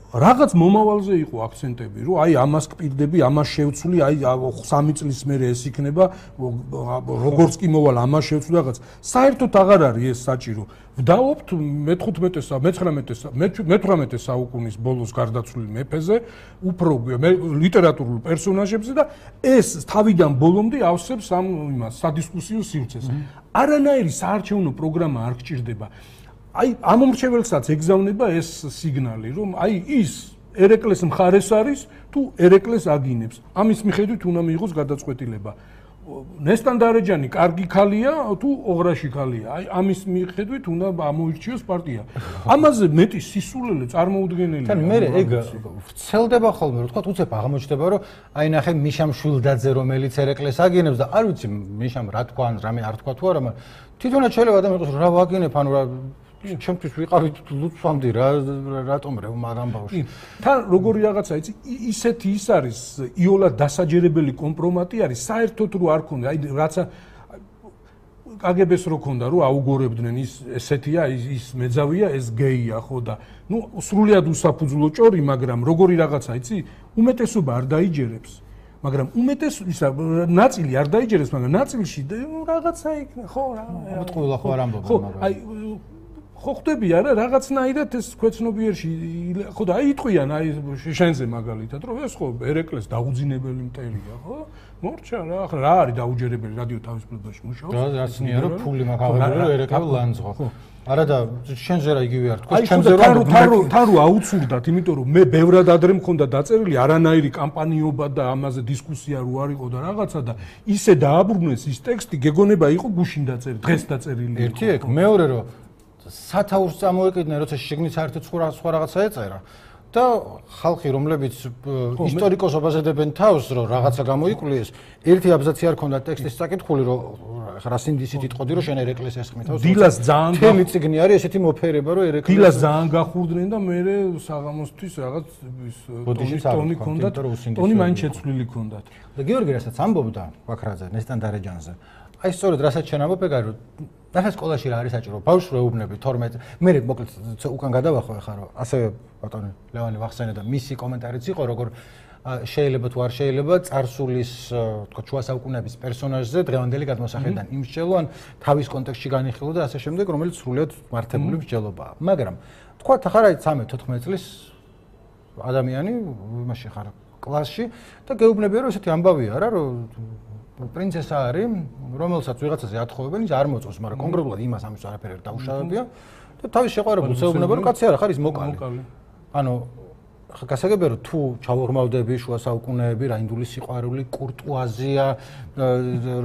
რაღაც მომავალზე იყო აქცენტები, რომ აი ამას კპირდები, ამას შევცვლი, აი სამი წლის მერე ეს იქნება, როგორც კი მოვალ ამას შევცვლი რაღაც. საერთოდ აღარ არის ეს საჭირო. ვდაობთ მეთერთმეტე მეთვრამეტე საუკუნის ბოლოს გარდაცვლილ მეფეზე, უფრო ლიტერატურულ პერსონაჟებზე და ეს თავიდან ბოლომდე ავსებს ამ იმას სადისკუსიო სივრცეს. არანაირი საარჩევნო პროგრამა არ გჭირდება. აი ამომრჩეველსაც ეგზავნება ეს სიგნალი რომ აი ის ერეკლეს მხარეს არის თუ ერეკლეს აგინებს ამის მიხედვით უნდა მიიღოს გადაწყვეტილება ნესტან დარეჯანი კარგი ქალია თუ ოღრაში ქალია აი ამის მიხედვით უნდა ამოირჩიოს პარტია ამაზე მეტი სისულელე წარმოუდგენელია თან მე ეგ ვრცელდება ხოლმე რომ თქვა უცებ აღმოჩნდება რომ აი ნახე მიშამ შვილდაძე რომელიც ერეკლეს აგინებს და არ ვიცი მიშამ რა თქვა ან რამე არ თქვა თუ არა მაგრამ თვითონაც შეიძლება და მიყოს რა ვაგინებ ანუ რა ჩემთვის ვიყავით ლუცვამდე რა რატომ რევმა ამბავში თან როგორი რაღაცა იცი ისეთი ის არის იოლად დასაჯერებელი კომპრომატი არის საერთოდ რო არ ქონდა აი რაცა კაგებეს რო ქონდა რომ აუგორებდნენ ის ესეთია ის მეძავია ეს გეია ხო და ნუ სრულიად უსაფუძვლო ჭორი მაგრამ როგორი რაღაცა იცი უმეტესობა არ დაიჯერებს მაგრამ უმეტეს ისა ნაწილი არ დაიჯერებს მაგრამ ნაწილში რაღაცა იქნა ხო რა მოტყულა ხო არ ამბობენ მაგრამ აი ხო ხდები არა რაღაცნაირად ეს ქვეცნობიერში ხო და აი იტყვიან აი შენზე მაგალითად რომ ეს ხო ერეკლეს დაუძინებელი მტერია ხო მორჩა რა ახლა რა არის დაუჯერებელი რადიო თავისუფლებაში მუშაობს რა რაცნია რომ ფული მაგავებული რომ ერეკლე ლანძღო არა და შენზე რა იგივე არ თქვა ჩემზე რა თან რო აუცურდათ იმიტომ რომ მე ბევრად ადრე მქონდა დაწერილი არანაირი კამპანიობა და ამაზე დისკუსია რო არ იყო და რაღაცა და ისე დააბრუნეს ის ტექსტი გეგონება იყო გუშინ დაწერილი დღეს დაწერილი ერთი ეგ მეორე რომ სათაურს წამოეკიდნენ, როცა შიგნით საერთოდ სხვა სხვა რაღაცა ეწერა. და ხალხი რომლებიც ისტორიკოსობაზე დებენ თავს რომ რაღაცა გამოიკვლიეს ერთი აბზაცი არ ქონდა ტექსტის საკითხული რომ რა სინდისით იტყოდი რომ შენ ერეკლეს ესხმი თავს დილას ძალიან თემი წიგნი არის ესეთი მოფერება რომ ერეკლეს დილას ძალიან გახურდნენ და მე საღამოსთვის რაღაც ის ტონი ქონდათ ტონი მაინც შეცვლილი ქონდათ და გიორგი რასაც ამბობდა ვაქრაძე ნესტან დარეჯანზე აი სწორედ რასაც შენ ამბობ ეგ არის ნახე სკოლაში რა არის საჭირო ბავშვს რეუბნები თორმეტ მე მოკლედ უკან გადავახო ახლა რომ ასე ბატონი ლევანი ვახსენე და მისი კომენტარიც იყო როგორ შეიძლება თუ არ შეიძლება წარსულის თქო შუა საუკუნეების პერსონაჟზე დღევანდელი გადმოსახედიდან იმსჯელო ან თავის კონტექსტში განიხილო და ასე შემდეგ რომელიც სრულიად მართებული მსჯელობაა მაგრამ თქვა ახლა რა იცი თოთხმეტ წლის ადამიანი იმაში ხარ კლასში და გეუბნებია რომ ესეთი ამბავია რა რომ პრინცესა არის, რომელსაც ვიღაცაზე ათხოვებენ, ის არ მოწონს, მაგრამ კონკრეტულად იმას ამის არაფერი არ დაუშავებია და თავის შეყვარებულს ეუბნება, რომ კაცი არა ხარ ის მოკალი. ანუ გასაგებია რომ თუ ჩავორმავდები შუა საუკუნეები, რაინდული სიყვარული, კურტუაზია,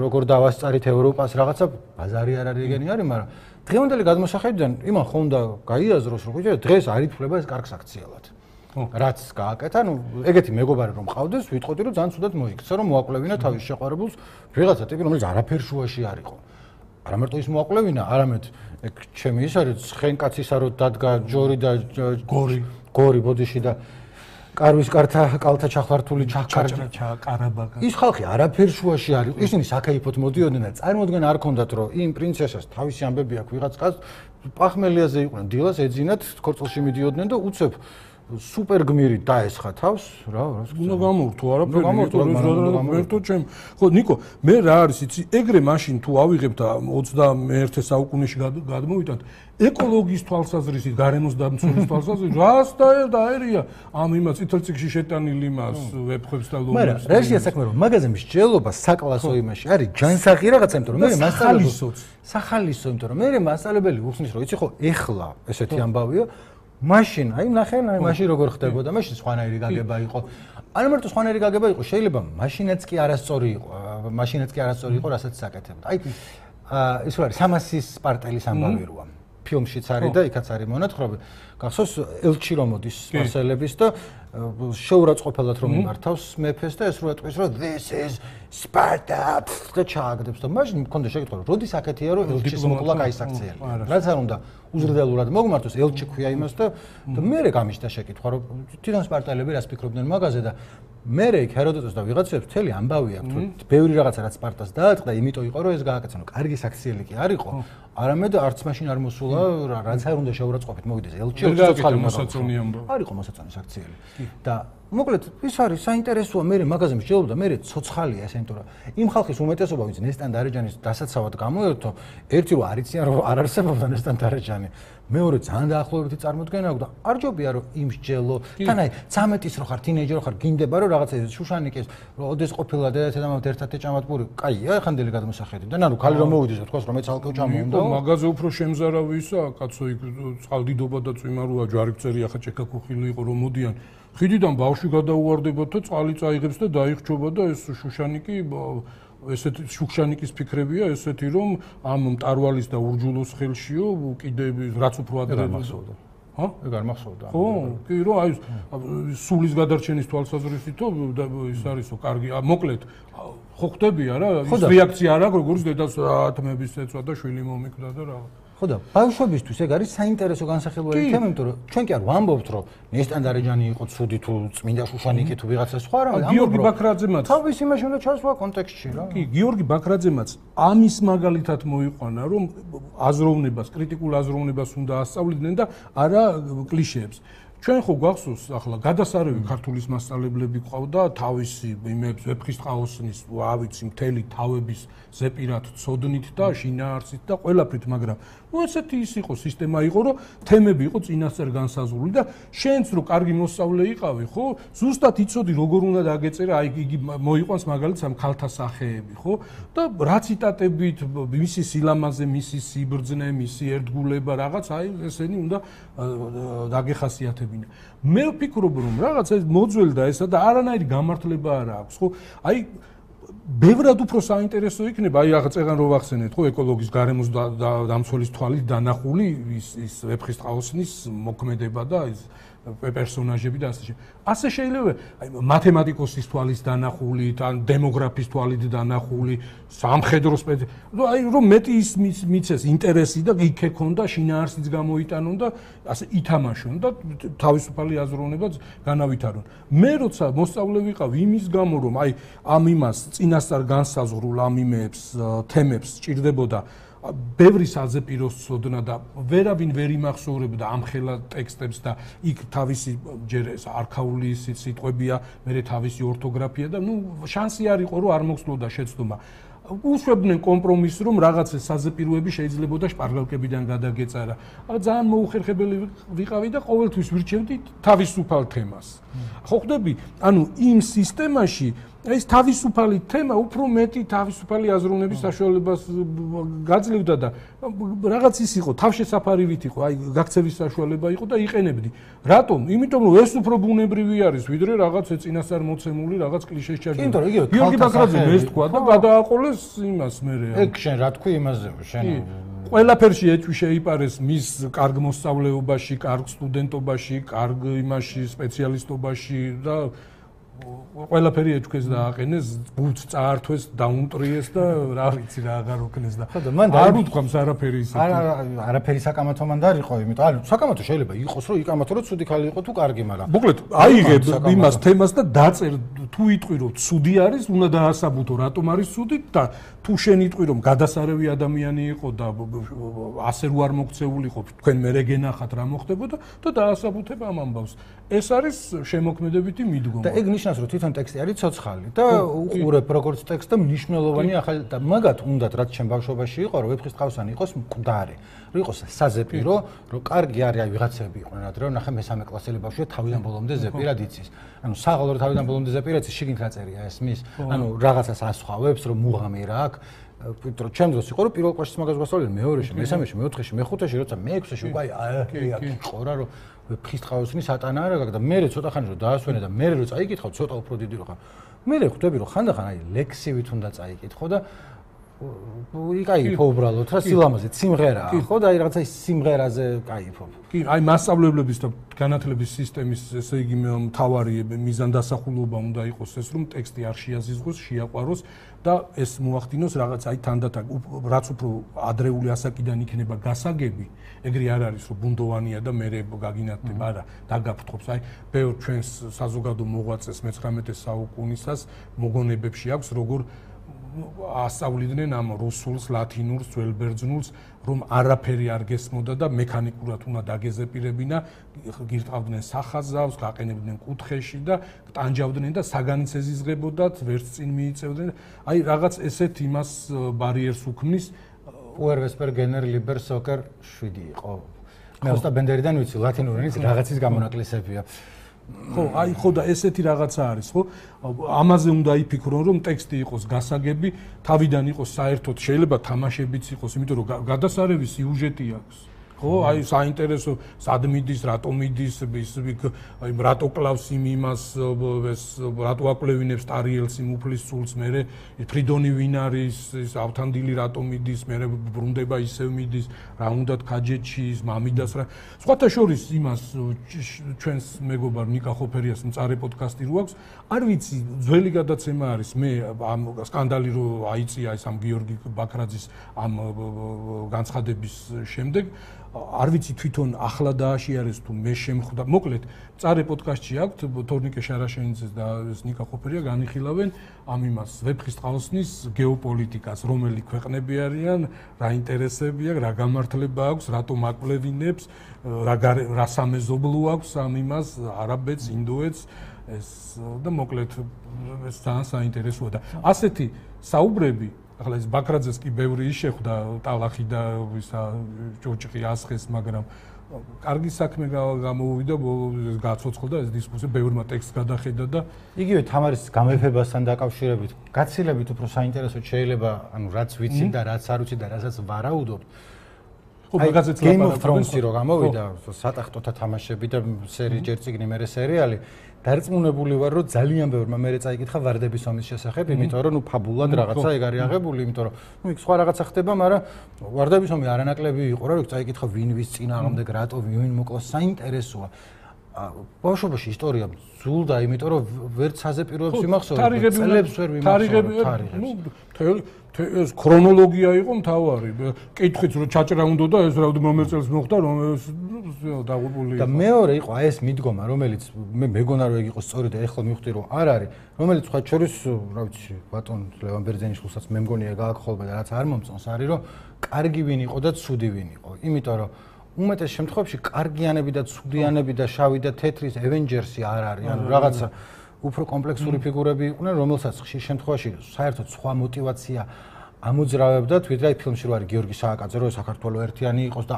როგორ დავასწარით ევროპას, რაღაცა ბაზარი არ არის ეგენი არის, მაგრამ დღევანდელი გადმოსახედიდან იმან ხომ უნდა გაიაზროს, რომ ხუჭე დღეს არ ითვლება ეს კარგ საქციელად. რაც გააკეთა, ну, ეგეთი მეგობარი რომ მყავდეს, ვიტყოდი რომ ძალიან ცუდად მოიქცა, რომ მოაკვლევინა თავის შეყვარებულს, ვიღაცა ტიპი, რომელიც არაფერ შუაში არ იყო. არა მარტო ის მოაკვლევინა, არამედ ეგ ჩემი ის არის, ცხენკაცისა რო დადგა ჯორი და გორი, გორი ბოდიში და კარვის კართა კალთა ჩახვართული ჩახკარჭა კარაბაკა. ის ხალხი არაფერ შუაში არ იყო. ისინი საკაიფოდ მოდიოდნენ და წარმოდგენა არ ქონდათ, რომ იმ პრინცესას თავისი ამბები აქვს ვიღაც კაცს, პახმელიაზე იყვნენ, დილას ეძინათ, ქორწილში მიდიოდნენ და უცებ სუპერ გმირი დაესხა თავს რა რა უნდა გამორთო არაფერი გამორთო ჩემ ხო ნიკო მე რა არის იცი ეგრე მაშინ თუ ავიღებ და ოცდამეერთე საუკუნეში გადმოვიტანთ ეკოლოგიის თვალსაზრისით გარემოს დამცველის თვალსაზრისით რას დაერია ამ იმას წითელ წიგნში შეტანილი იმას ვეფხვებს და ლომებს მაგრამ რეჟია საქმე რომ მაგაზე მსჯელობა საკლასო იმაში არის ჯანსაღი რაღაცა იმიტომ რომ მე მასწავლებლიც სახალისო იმიტომ რომ მე მასწავლებელი უხსნის რომ იცი ხო ეხლა ესეთი ამბავია მაშინ, აი ნახე, აი მაშინ როგორ ხდებოდა, მაშინ სხვანაირი გაგება იყო. არა მარტო სხვანაირი გაგება იყო, შეიძლება მაშინაც კი არასწორი იყო, მაშინაც კი არასწორი იყო, რასაც საკეთებდა. აი ის რა არის, სამასის სპარტელის ამბავი როა. ფილმშიც არის და იქაც არის მონათხრობი. გახსოვს ელჩი რომ მოდის სპარსელების და შეურაცხყოფელად რომ იმართავს მეფეს და ეს რო ეტყვის რომ this is Sparta და ჩააგდებს და მაშინ მქონდა შეკითხვა რომ როდის აქეთია რომ ელჩის მოკვლა გაისაქციელი. რაც არ უნდა უზრდელურად მოგმართოს ელჩი ქვია იმას და და მერე გამიშთა შეკითხვა რომ თვითონ სპარტელები რას ფიქრობდნენ მაგაზე და მერე იქ ჰეროდოტოს და ვიღაცებს მთელი ამბავი აქვს რომ ბევრი რაღაცა რაც სპარტას დაატყდა იმიტომ იყო რომ ეს გააკეთა რომ კარგი საქციელი კი არ იყო არამედ არც მაშინ არ მოსულა რაც არ უნდა შეურაცხყოფით მოვიდეს ელჩი ცოცხალი მოსაწონი ამბავი არ იყო მოსაწონი საქციელი და მოკლედ ის არის საინტერესოა მე მაგაზე მსჯელობდა მე ცოცხალია ეს იმიტომ რომ იმ ხალხის უმეტესობა ვინც ნესტან დარეჯანის დასაცავად გამოერთო ერთი რომ არ იციან რომ არ არსებობდა ნესტან დარეჯანი მეორე ძალიან დაახლოებითი წარმოდგენა აქვს და არ ჯობია რომ იმ მსჯელო თან აი ცამეტის რო ხარ თინეიჯერი რო ხარ გინდება რომ რაღაცა შუშანიკის რომ ოდეს ყოფილა დედაცადამავთ ერთად ეჭამატპური კაია ეხანდელი გადმოსახედიდან ანუ ქალი რომ მოვიდეს და თქვას რომ მეც ალკო ჩამოვიდა მაგაზე უფრო შემზარავი ისა კაცო იქ წყალდიდობა და წვიმაროა ჯვარიფწერი ახლა ჭექაქუხილი იყო რომ მოდიან ხიდიდან ბავშვი გადაუვარდებოდა და წყალი წაიღებს და დაიხჩობა და ეს შუშანიკი ესეთი შუშანიკის ფიქრებია ესეთი რომ ამ მტარვალის და ურჯულოს ხელშიო კიდე რაც უფრო ადრე მახსოვდა ჰა ეგ არ მახსოვდა ხო კი რომ აი სულის გადარჩენის თვალსაზრისითო ის არისო კარგი მოკლედ ხო ხდებია რა ის რეაქცია არა როგორც დედას ათმების ეცვა და შვილი მომიკვდა და რა ხო და ბავშვებისთვის ეგ არის საინტერესო განსახილველი თემა, იმიტომ რომ ჩვენ კი არ ვამბობთ, რომ ნესტან დარეჯანი იყო ცუდი თუ წმინდა შუშანიკი თუ ვიღაცა სხვა რა, ამბობ გიორგი ბაქრაძემაც თავის იმაში უნდა ჩასვა კონტექსტში რა. კი, გიორგი ბაქრაძემაც ამის მაგალითად მოიყვანა, რომ აზროვნებას, კრიტიკულ აზროვნებას უნდა ასწავლიდნენ და არა კლიშეებს. ჩვენ ხო გვახსოვს ახლა გადასარევი ქართულის მასწავლებლები ყავდა თავისი იმებს ვეფხისტყაოსნის ავიცი მთელი თავების ზეპირად ცოდნით და შინაარსით და ყველაფრით მაგრამ ну ესეთი ის იყო სისტემა იყო რომ თემები იყო წინასწარ განსაზღვრული და შენც რო კარგი მოსწავლე იყავი ხო ზუსტად იცოდი როგორ უნდა დაგეწერა აი იგი მოიყვანს მაგალითად ამ ქალთა სახეები ხო და რა ციტატებით მისი სილამაზე მისი სიბრძნე მისი ერთგულება რაღაც აი ესენი უნდა დაგეხასიათებინა მე ვფიქრობ რომ რაღაც ეს მოძველდა ესა და არანაირი გამართლება არ აქვს ხო აი ბევრად უფრო საინტერესო იქნება, აი რაღაც წეგან რო ვახსენეთ, ხო, ეკოლოგის გარემოს დამცველის თვალით დანახული ის ის ვეფხისტყაოსნის მოქმედება და ის პერსონაჟები და ასე შემდეგ. ასე შეიძლება აი მათემატიკოსის თვალის დანახული, ან დემოგრაფის თვალით დანახული, სამხედრო სპეცი, ну აი რომ მეტი ის მიცეს ინტერესი და იქ ექონდა შინაარსიც გამოიტანონ და ასე ითამაშონ და თავისუფალი აზროვნებაც განავითარონ. მე როცა მოსწავლე ვიყავ იმის გამო რომ აი ამ იმას წინასწარ განსაზღვრულ ამ იმებს თემებს სჭირდებოდა ბევრი საზეპიროს ცოდნა და ვერავინ ვერ იმახსოვრებდა ამ ხელა ტექსტებს და იქ თავისი ჯერ ეს არქაული სიტყვებია, მე თავისი ორთოგრაფია და ნუ შანსი არ იყო რომ არ მოხსნოდა შეცდომა. უშვებდნენ კომპრომისს რომ რაღაც საზეპიროები შეიძლებოდა შპარგალკებიდან გადაგეწარა. αλλά ძალიან მოუხერხებელი ვიყავი და ყოველთვის ვირჩევდი თავისუფალ თემას. ხო ხვდები, ანუ იმ სისტემაში ეს თავისუფალი თემა უფრო მეტი თავისუფალი აზროვნების საშუალებას გაძლევდა და რაღაც ის იყო, თავშესაფარივით იყო, აი გაქცევის საშუალება იყო და იყენებდი. რატომ? იმიტომ რომ ეს უფრო ბუნებრივი არის, ვიდრე რაღაც წინასწარ მოცემული რაღაც კლიშეს ჩარჯვა. იმიტომ რომ იგივე გიორგი ბაქრაძემ ეს თქვა და გადააყოლეს იმას მერე. ეგ შენ რა თქვი იმაზე, შენ ყველაფერში ეჭვი შეიპარეს მის კარგ მოსწავლეობაში, კარგ სტუდენტობაში, კარგ იმაში სპეციალისტობაში და ყველაფერი ეჭვქეს დააყენეს, გულს წაართვეს, დაუნტრიეს და რა ვიცი რა აღარ უქნეს და არ უთქვამს არაფერი ისეთი. არა, არაფერი საკამათო მანდ არ იყო, იმიტომ ანუ საკამათო შეიძლება იყოს, რომ იკამათო რომ ცუდი ხალი იყო თუ კარგი, მაგრამ მოკლედ აიღებ იმას თემას და დაწერ თუ იტყვი რომ ცუდი არის, უნდა დაასაბუთო რატომ არის ცუდი და თუ შენ იტყვი რომ გადასარევი ადამიანი იყო და ასე რო არ მოქცეულიყო, თქვენ მერე გენახათ რა მოხდებოდა და დაასაბუთებ ამ ამბავს. ეს არის შემოქმედებითი მიდგომა. და ეგ ნიშნავს რომ თვითონ ტექსტი არის ცოცხალი და უყურებ როგორც ტექსტ და მნიშვნელოვანი ახალი და მაგათ უნდათ რაც ჩემ ბავშვობაში იყო რომ ვეფხისტყაოსანი იყოს მკვდარი, რომ იყოს საზეპირო, რომ კარგი არის აი ვიღაცები იყვნენ ადრე რომ ნახე მესამე კლასელი ბავშვია თავიდან ბოლომდე ზეპირად იცის. ანუ საღოლო თავიდან ბოლომდე ზეპირად იცის, შიგნით აწერია ეს მის, ანუ რაღაცას ასხავებს რომ მუღამი რა აქვს. პიტრო ჩემ დროს იყო რომ პირველ კლასში მაგას გასწავლე, მეორეში, მესამეში, მეოთხეში, მეხუთეში, როცა მეექვსეში უკვე აი აი იყო რა რომ ვეფხისტყაოსნის ატანა არა გაქვს და მე ცოტა ხანი რომ დაასვენე და მე რო წაიკითხავ ცოტა უფრო დიდი რო ხარ. მე ხვდები რომ ხანდახან აი ლექსივით უნდა წაიკითხო და იკაიფო უბრალოდ რა სილამაზით სიმღერაა ხო და აი რაღაცა ის სიმღერაზე კაიფობ. კი, აი მასწავლებლების და განათლების სისტემის ესე იგი მთავარი მიზანდასახულობა უნდა იყოს ეს რომ ტექსტი არ შეაზიზღოს, შეაყვაროს და ეს მოახდინოს რაღაც აი თანდათან რაც უფრო ადრეული ასაკიდან იქნება გასაგები, ეგრე არ არის რომ ბუნდოვანია და მე გაგინათდება, არა, დაგაფრთხობს. აი ბევრ ჩვენს საზოგადო მოღვაწეს მეცხრამეტე საუკუნისას მოგონებებში აქვს როგორ ასწავლიდნენ ამ რუსულს, ლათინურს, ძველბერძნულს, რომ არაფერი არ გესმოდა და მექანიკურად უნდა დაგეზეპირებინა, გირტყავდნენ სახაზავს, გაყენებდნენ კუთხეში და ტანჯავდნენ და საგანიც ეზიზღებოდათ, ვერც წინ მიიწევდნენ. აი რაღაც ესეთ იმას ბარიერს უქმნის. Puer vesper gener liber soccer შვიდი იყო. მე ოსტა ბენდერიდან ვიცი, ლათინური ენის რაღაცის გამონაკლისებია. ხო, აი ხო და ესეთი რაღაცა არის, ხო? ამაზე უნდა იფიქრონ, რომ ტექსტი იყოს გასაგები, თავიდან იყოს საერთოდ შეიძლება თამაშებიც იყოს, იმიტომ რომ გადასარევი სიუჟეტი აქვს. ხო, აი საინტერესო სად მიდის, რატო მიდის, ის აი რატო კლავს იმ იმას, ეს რატო აკვლევინებს ტარიელს იმ უფლის სულს, მე ფრიდონი ვინ არის, ის ავთანდილი რატო მიდის, მე ბრუნდება ისევ მიდის, რა უნდათ ქაჯეთში ის მამიდას რა. სხვათა შორის იმას ჩვენს მეგობარ ნიკა ხოფერიას მწარე პოდკასტი რო აქვს, არ ვიცი, ძველი გადაცემა არის, მე ამ სკანდალი რო აიწია ეს ამ გიორგი ბაქრაძის ამ განცხადების შემდეგ არ ვიცი თვითონ ახლა დააშიარეს თუ მე შემხვდა. მოკლედ, მწარე პოდკასტში აქვთ თორნიკე შარაშენიძეს და ნიკა ხოფერია განიხილავენ ამ იმას ვეფხისტყაოსნის გეოპოლიტიკას, რომელი ქვეყნები არიან, რა ინტერესები აქვს, რა გამართლება აქვს, რატომ აკვლევინებს, რა რა სამეზობლო აქვს ამ იმას, არაბეთს, ინდოეთს, ეს და მოკლედ ეს ძალიან საინტერესოა და ასეთი საუბრები ახლა ეს ბაქრაძეს კი ბევრი შეხვდა ტალახი და ისა ჭოჭყი ასხეს, მაგრამ კარგი საქმე გამოუვიდა, გაცოცხლდა ეს დისკუსია, ბევრმა ტექსტს გადახედა და იგივე თამარის გამეფებასთან დაკავშირებით გაცილებით უფრო საინტერესო შეიძლება, ანუ რაც ვიცი და რაც არ ვიცი და რასაც ვარაუდობ. ხო მაგაზეც ლაპარაკობენ. Game of Thrones-ი რო გამოვიდა, სატახტოთა თამაშები და სერი ჯერ წიგნი მერე სერიალი, დარწმუნებული ვარ, რომ ძალიან ბევრმა მერე წაიკითხა ვარდების ომის შესახებ, იმიტომ რომ ნუ ფაბულად რაღაცა ეგ არის აღებული, იმიტომ რომ ნუ იქ სხვა რაღაცა ხდება, მაგრამ ვარდების ომი არანაკლები იყო რა, რომ წაიკითხა ვინ ვის წინააღმდეგ რატო ვინ მოკლა, საინტერესოა. ბავშვობაში ისტორია ზულდა, იმიტომ რომ ვერც საზეპიროებს ვიმახსოვრე, წლებს ვერ ვიმახსოვრე თარიღებს. ეს ქრონოლოგია იყო მთავარი. კითხვით რომ ჩაჭრა უნდა და ეს რა მომელ წელს მოხდა, რომ ეს დაღუპული იყო. და მეორე იყო აი ეს მიდგომა, რომელიც მე მეგონა რომ ეგ იყო სწორი და ეხლა მივხვდი რომ არ არის, რომელიც სხვა შორის, რა ვიცი, ბატონ ლევან ბერძენიშვილსაც მე მგონია გააგხოლბა და რაც არ მომწონს არის რომ კარგი ვინ იყო და ცუდი ვინ იყო. იმიტომ რომ უმეტეს შემთხვევაში კარგიანები და ცუდიანები და შავი და თეთრის Avengers-ი არ არის, ანუ რაღაცა უფრო კომპლექსური ფიგურები იყვნენ, რომელსაც ხშირ შემთხვევაში საერთოდ სხვა мотиваცია ამოძრავებდათ, ვიდრე აი ფილმში რო არის გიორგი სააკაძე, რო საქართველოს ერთიანი იყოს და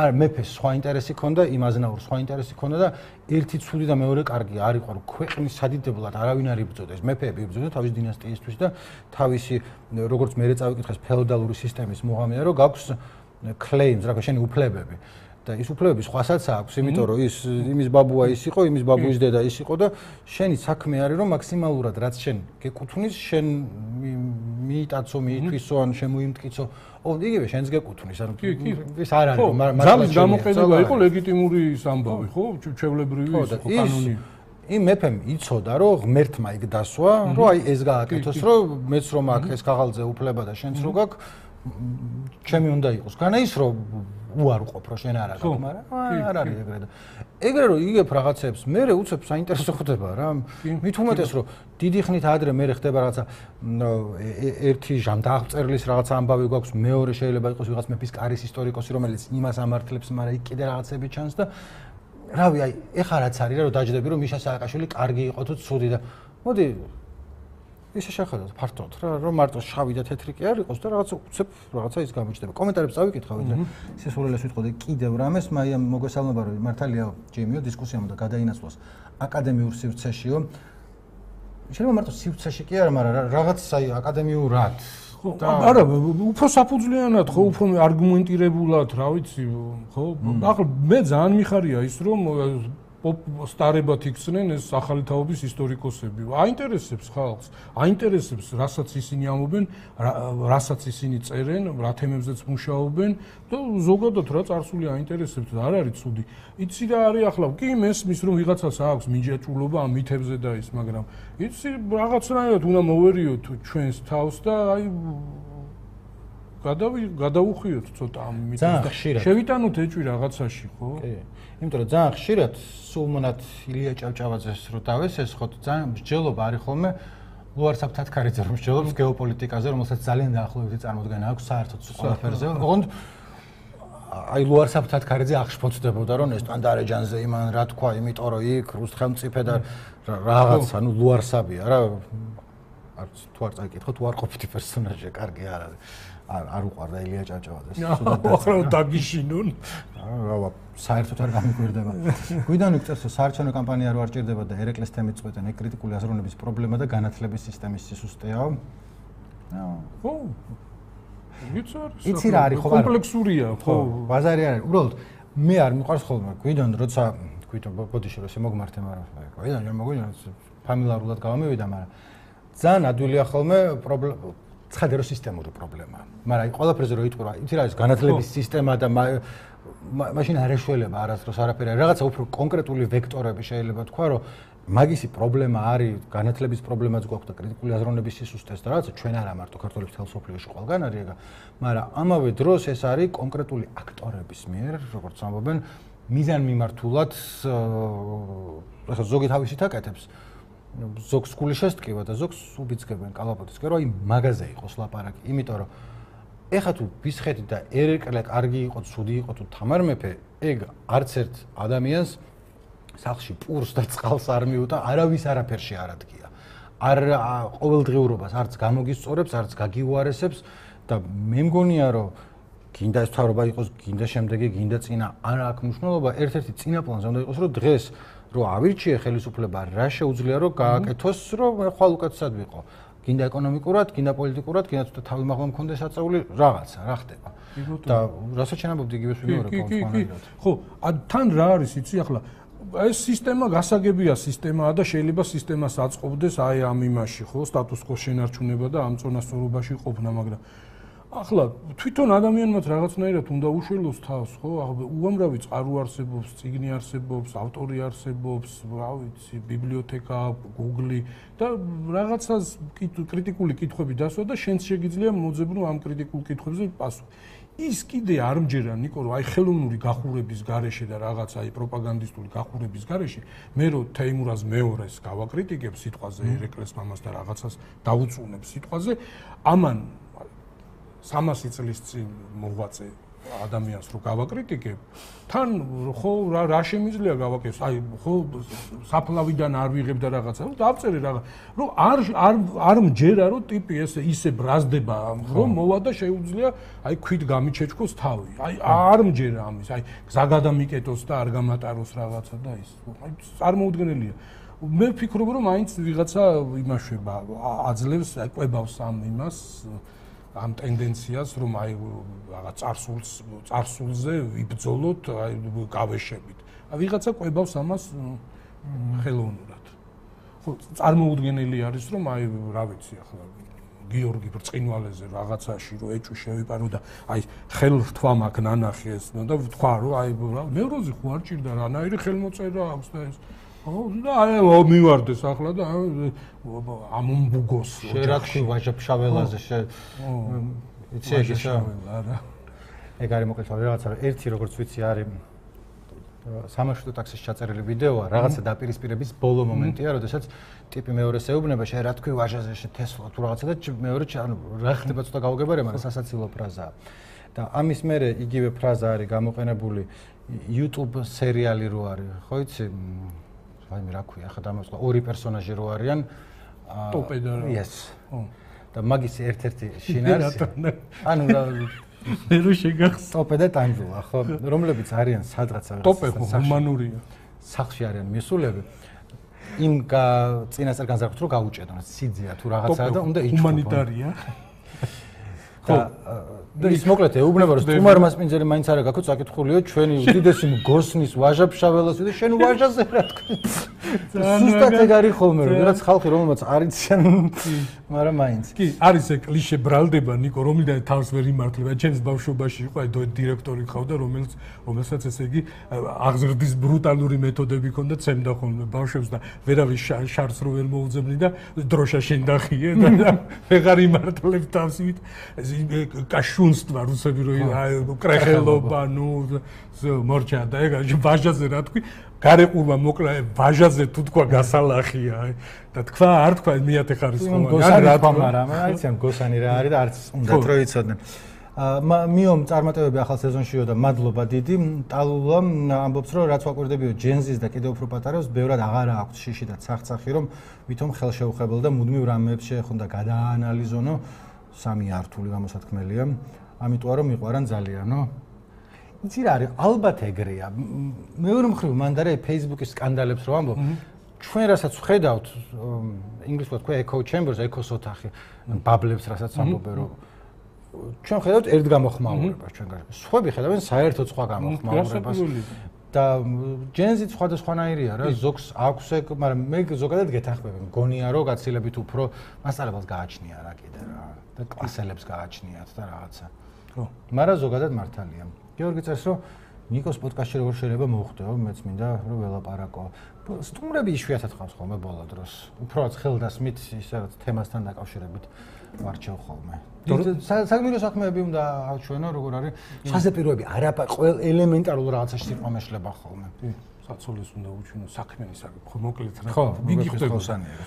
არ მეფეს სხვა ინტერესი ქონდა, იმ აზნაურს სხვა ინტერესი ქონდა და ერთი ცუდი და მეორე კარგი არ იყო, რომ ქვეყნის სადიდებლად არავინ არ იბრძოდეს, მეფეები იბრძოდნენ თავის დინასტიისთვის და თავისი როგორც მე წავიკითხეს ფეოდალური სისტემის მუღამია, რომ გაქვს claims, რა შენი უფლებები. და ის უფლებები სხვასაც აქვს, იმიტომ რომ ის იმის ბაბუა ის იყო, იმის ბაბუის დედა ის იყო და შენი საქმე არის რომ მაქსიმალურად რაც შენ გეკუთვნის, შენ მიიტაცო, მიითვისო, ან შემოიმტკიცო. ო, იგივე შენს გეკუთვნის, ანუ ეს არ არის რომ მართლა გამოყენება იყო ლეგიტიმური ამბავი, ხო? ჩვეულებრივი ის ხო კანონი. იმ მეფემ იცოდა რომ ღმერთმა იქ დასვა, რომ აი ეს გააკეთოს, რომ მეც რომ აქ ეს ქაღალდზე უფლება და შენც რო გაქვს, ჩემი უნდა იყოს. განა ის რომ უარყოფ რო შენ არ აქვს, მაგრამ არ არის ეგრე და ეგრე რომ იგებ რაღაცებს, მე უცებ საინტერესო ხდება რა. მით უმეტეს რომ დიდი ხნით ადრე მე ხდება რაღაცა ერთი ჟანდაღწერლის რაღაცა ამბავი გვაქვს, მეორე შეიძლება იყოს ვიღაც მეფის კარის ისტორიკოსი, რომელიც იმას ამართლებს, მაგრამ იქ კიდე რაღაცები ჩანს და რავი, აი ეხლა რაც არის რა, რომ დაждები რომ მიშა სააკაშვილი კარგი იყო თუ ცუდი და მოდი ისე შეხედოთ ფართოდ რა, რომ მარტო შავი და თეთრი კი არ იყოს და რაღაცა უცებ რაღაცა ის გამოჩნდება. კომენტარებს წავიკითხავ და სისულელეს ვიტყოდი კიდევ რამეს, მაიამ მოგესალმება რომ მართალია ჯიმიო დისკუსიამ და გადაინაცვლოს აკადემიურ სივრცეშიო. შეიძლება მარტო სივრცეში კი არა, მაგრამ რაღაც აი აკადემიურად არა, უფრო საფუძვლიანად ხო, უფრო არგუმენტირებულად, რა ვიცი, ხო? ახლა მე ძალიან მიხარია ის რომ სტარებად იქცნენ ეს ახალი თაობის ისტორიკოსები. აინტერესებს ხალხს, აინტერესებს, რასაც ისინი ამობენ, რასაც ისინი წერენ, რა თემებზეც მუშაობენ და ზოგადად რა წარსული აინტერესებს და არ არის ცუდი. იცი რა არის ახლა, კი მესმის რომ ვიღაცას აქვს მიჯაჭულობა ამ მითებზე და ის, მაგრამ იცი რაღაცნაირად უნდა მოვერიოთ ჩვენს თავს და აი გადავი გადაუხვიოთ ცოტა ამ მითებს. შევიტანოთ ეჭვი რაღაცაში, ხო? კი. იმიტომ რომ ძალიან ხშირად სულ მონად ილია ჭავჭავაძეს რო დავესეს, ხო ძალიან მსჯელობა არის ხოლმე ლუარსაბ თათქარიძე რომ მსჯელობს გეოპოლიტიკაზე, რომელსაც ძალიან დაახლოებითი წარმოდგენა აქვს საერთოდ ყველაფერზე. ოღონდ აი ლუარსაბ თათქარიძე აღშფოთდებოდა რომ ეს ტანდარეჯანზე იმან რა თქვა, იმიტომ რომ იქ რუს ხელმწიფე და რაღაც, ანუ ლუარსაბია რა. არც თუ არ წაიკითხოთ, უარყოფითი პერსონაჟია, კარგი არ არის. არ არ უყარდა ილია ჭავჭავაძეს. ახლა დაგიშინონ. რა საერთოდ არ გამიგვირდება. გვიდან იქცევს საარჩევნო კამპანია რო არ ჭირდება და ერეკლეს თემით წვეთენ ეგ კრიტიკული აზროვნების პრობლემა და განათლების სისტემის სისუსტეა. ხო. იცი რა არის ხო კომპლექსურია, ხო. ბაზარი არის. უბრალოდ მე არ მიყვარს ხოლმე გვიდან როცა გვიდან ბოდიში რო შემოგმართე, მაგრამ გვიდან რომ მოგვიდა ფამილარულად გავამივიდა, მაგრამ ძალიან ადვილია ხოლმე პრობლემა ცხადერო სისტემური პრობლემაა. მაგრამ აი ყველაფერზე რო იტყვა, იცი რა არის განათლების სისტემა და მაშინ არ ეშველება არასდროს არაფერი. რაღაცა უფრო კონკრეტული ვექტორები შეიძლება თქვა, რომ მაგისი პრობლემა არის, განათლების პრობლემაც გვაქვს და კრიტიკული აზროვნების სისუსტეს და რაღაცა ჩვენ არა მარტო ქართველებს თელ სოფლიოში ყველგან არის ეგა, მაგრამ ამავე დროს ეს არის კონკრეტული აქტორების მიერ, როგორც ამბობენ, მიზანმიმართულად ახლა ზოგი თავისით აკეთებს. ზოგს გული შესტკივა და ზოგს უბიძგებენ კალაპოტისკენ, რომ აი მაგაზე იყოს ლაპარაკი, იმიტომ რომ ეხა თუ ბისხეთი და ერეკლე კარგი იყო, ცუდი იყო თუ თამარ მეფე, ეგ არც ერთ ადამიანს სახლში პურს და წყალს არ მიუტა, არავის არაფერში არ ადგია. არ ყოველდღიურობას არც გამოგისწორებს, არც გაგიუარესებს და მე მგონია რომ გინდა ეს თავრობა იყოს, გინდა შემდეგი, გინდა წინა, არ აქვს მნიშვნელობა, ერთ-ერთი წინა პლანზე უნდა იყოს, რომ დღეს რო ავირჩიე ხელისუფლება, რა შეუძლია რომ გააკეთოს, რომ ხვალ უკეთესად ვიყო. გინდა ეკონომიკურად, გინდა პოლიტიკურად, გინდა ცოტა თავი მაღლა მქონდეს აწეული რაღაცა, რა ხდება. და რასაც შენაბობდი იგივეს ვიმეორებ კონსტანტად. ხო, თან რა არის იცი ახლა ეს სისტემა გასაგებია სისტემაა და შეიძლება სისტემას აწყობდეს აი ამ იმაში ხო სტატუს კოს შენარჩუნება და ამ წონასწორობაში ყოფნა მაგრამ ახლა თვითონ ადამიანმაც რაღაცნაირად უნდა უშველოს თავს ხო უამრავი წყარო არსებობს წიგნი არსებობს ავტორი არსებობს რა ვიცი ბიბლიოთეკა Google და რაღაცას კრიტიკული კითხვები დასვა და შენც შეგიძლია მოძებნო ამ კრიტიკულ კითხვებზე პასუხი ის კიდე არ მჯერა ნიკო რომ აი ხელოვნური გახურების გარეშე და რაღაც აი პროპაგანდისტული გახურების გარეშე მე რომ თეიმურაზ მეორეს გავაკრიტიკებ სიტყვაზე ერეკლეს მამას და რაღაცას დაუწუნებ სიტყვაზე ამან სამასი წლის წინ მოღვაწე ადამიანს რო გავაკრიტიკებ თან ხო რა რა შემიძლია გავაკეთოს აი ხო საფლავიდან არ ვიღებ და რაღაცა რომ დავწერე რაღაც რომ არ არ არ მჯერა რომ ტიპი ესე ისე ბრაზდება რომ მოვა და შეუძლია აი ქვით გამიჩეჩქოს თავი აი არ მჯერა ამის აი გზა გადამიკეტოს და არ გამატაროს რაღაცა და ის აი წარმოუდგენელია მე ვფიქრობ რომ მაინც ვიღაცა იმაშვება აძლევს აი ყვებავს ამ იმას ამ ტენდენციას რომ აი რაღაც წარსულს წარსულზე ვიბრძოლოთ აი გავეშებით. აი ვიღაცა ყვებავს ამას ხელოვნურად. ხო წარმოუდგენელი არის რომ აი რა ვიცი ახლა გიორგი ბრწყინვალეზე რაღაცაში რომ ეჭვი შევიპარო და აი ხელრთვა მაქვს ნანახი ეს და ვთქვა რომ აი მეუროზე ხო არ ჭირდა რანაირი ხელმოწერა აქვს და ეს ხო და აი მივარდეს ახლა და ამომბუგოს შერაქვი ვაჟაფშაველაზე შე იცი ეგეშა არა ეგ არის მოკლედ რაღაცა ერთი როგორც ვიცი არის სამაშვილო ტაქსის ჩაწერილი ვიდეოა რაღაცა დაპირისპირების ბოლო მომენტია როდესაც ტიპი მეორეს ეუბნება შე რა თქვი ვაჟაზე შე თესლა თუ რაღაცა და მეორე ანუ რა ხდება ცოტა გავგებარე მაგრამ სასაცილო ფრაზაა და ამის მერე იგივე ფრაზა არის გამოყენებული YouTube სერიალი რო არის ხო იცი აი მე რა ქვია ხა დამოსყვა ორი პერსონაჟი რო არიან ტოპე და yes და მაგის ერთ-ერთი შინარსი ანუ რა მე რო შეგახს ტოპე და ტანჯულა ხო რომლებიც არიან სადღაცა ტოპე ჰუმანურია სახლში არიან მისულები იმ წინასწარ განზრახოთ რომ გაუჭედონ სიძეა თუ რაღაცაა და უნდა იჩქო ჰუმანიტარია ხო და ის მოკლედ ეუბნება რომ სტუმარ მასპინძელი მაინც არა გაქვს საკითხულიო ჩვენი უდიდესი მგოსნის ვაჟაფშაველას და შენ ვაჟაზე რა თქვი ზუსტად ეგ არის ხოლმე რომ რაღაც ხალხი რომელმაც არ იციან მაგრამ მაინც კი არის ეგ კლიშე ბრალდება ნიკო რომლიდან თავს ვერ იმართლება ჩემს ბავშვობაში იყო აი დირექტორი ხავდა რომელიც რომელსაც ესე იგი აღზრდის ბრუტალური მეთოდები ჰქონდა ცემდა ხოლმე ბავშვებს და ვერავის შარს რო ვერ მოუძებნი და დროშა შენ დახიე და ვეღარ იმართლებ თავს იმით კაშუნსტვა რუსები რო კრეხელობა ნუ მორჩა და ეგ ვაჟაზე რა თქვი გარეყურვა მოკლა ვაჟაზე თუ თქვა გასალახია და თქვა არ თქვა მეათე ხარისხოვანი ან რა თქვა მაგრამ აიციან გოსანი რა არის და არც უნდა რო იცოდნენ მიომ წარმატებები ახალ სეზონშიო და მადლობა დიდი ტალულამ ამბობს რომ რაც ვაკვირდებიო ჯენზის და კიდევ უფრო პატარებს ბევრად აღარ აქვს შიში და ცახცახი რომ ვითომ ხელშეუხებელ და მუდმივ რამეებს შეეხონდა გადაანალიზონო სამი ართული გამოსათქმელია ამიტომ რომ მიყვარან ძალიანო იცი რა არის ალბათ ეგრეა მეორე მხრივ მანდარე Facebook-ის სკანდალებს რო ამბობ ჩვენ რასაც ვხედავთ ინგლისურად ქვია echo chambers echo ოთახი ბაბლებს რასაც ამბობენ რომ ჩვენ ხედავთ ერთ გამოხმაურებას ჩვენ გარშემო სხვები ხედავენ საერთოდ სხვა გამოხმაურებას და ჯენზიც სხვადასხვანაირია რა ზოგს აქვს ეგ მაგრამ მე ზოგადად გეთანხმები მგონია რომ გაცილებით უფრო მასწავლებლს გააჩნია რა კიდე რა და კლასელებს გააჩნიათ და რაღაცა ხო მაგრამ ზოგადად მართალია გიორგი წერს რომ ნიკოს პოდკასტში როგორ შეიძლება მოხვდეო მეც მინდა რომ ველაპარაკო სტუმრები იშვიათად ხავს ხოლმე ბოლო დროს უბრალოდ ხელდასმით ისე რაც თემასთან დაკავშირებით ვარჩევ ხოლმე საგმირო საქმეები უნდა აჩვენო როგორ არის საზეპიროები არაფერ ყოველ ელემენტარულ რაღაცაში სიტყვა მეშლება ხოლმე საცოლეს უნდა უჩვენო საქმენი საკითხი მოკლედ რა ხო მიგიხდება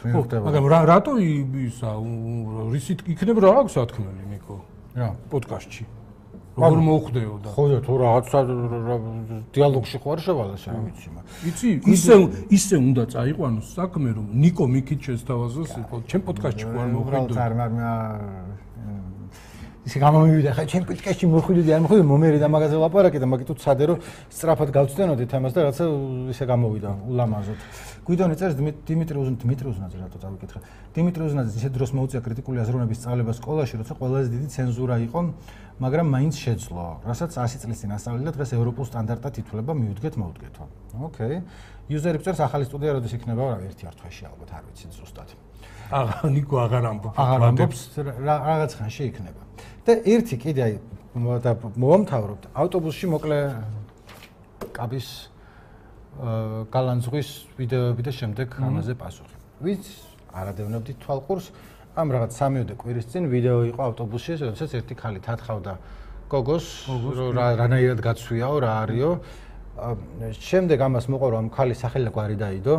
მიგიხდება მაგრამ რატო ისა რისით იქნება რა აქვს სათქმელი ნიკო რა პოდკასტში როგორ მოხვდეო და ხო და თუ რაღაცა დიალოგში ხო არ შევალეს რა ვიცი მაგრამ იცი ისე ისე უნდა წაიყვანოს საქმე რომ ნიკო მიქით შესთავაზოს ჩემ პოდკასტში ხო არ მოხვდეო ისე გამომივიდა ხა ჩემ პიტკაში მოხვიდოდი არ მოხვიდოდი მომერი და მაგაზე ლაპარაკი და მაგით უცადე რომ სწრაფად გავწდენოდით ამას და რაცა ისე გამოვიდა ულამაზოდ. გვიდონე წერს დიმიტრი უზნაძე დიმიტრი უზნაძე რატო წავიკითხე. დიმიტრი უზნაძე ისე დროს მოუწია კრიტიკული აზროვნების სწავლება სკოლაში, როცა ყველაზე დიდი ცენზურა იყო, მაგრამ მაინც შეძლო. რასაც ასი წლის წინ ასწავლიდა, დღეს ევროპულ სტანდარტად ითვლება, მივუდგეთ, მოვუდგეთო. ოკეი. იუზერი წერს ახალი სტუდია როდის იქნება, რა ერთი არ თვეში ალბათ არ ვიცი ზუსტად. აღარ ნიკო აღარ ამბობს. აღარ ამბობს რაღაც ხანში იქნება. და ერთი კიდე აი და მოვამთავრებთ ავტობუსში მოკლე კაბის გალანძღვის ვიდეოები და შემდეგ ამაზე პასუხი. ვინც არადევნებდით თვალყურს, ამ რაღაც სამიოდე კვირის წინ ვიდეო იყო ავტობუსში, როდესაც ერთი ხალი თათხავდა გოგოს, რანაირად გაცვიაო, რა არისო. შემდეგ ამას მოყვა რომ ხალი სახელი გვარი დაიდო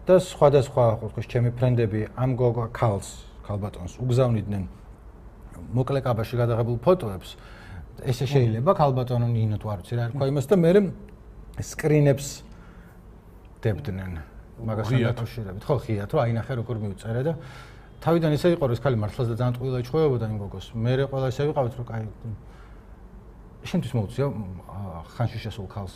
და სხვადასხვა ხოს ჩემი ფრენდები ამ გოგო ქალს, ქალბატონს უგზავნიდნენ მოკლე კაბაში გადაღებულ ფოტოებს. ესე შეიძლება ქალბატონო ნინო თუ არ ვიცი რა თქვა იმას და მე სკრინებს დებდნენ მაგასთან დაკავშირებით. ხო, ხიათ რომ აინახე როგორ მიუწერე და თავიდან ისე იყო რომ ეს ხალი მართლაც და ძალიან ტყუილად ჩვევებოდა იმ გოგოს. მე ყველა ისე ვიყავით რომ კაი შენთვის მოუწია ხანში შესულ ქალს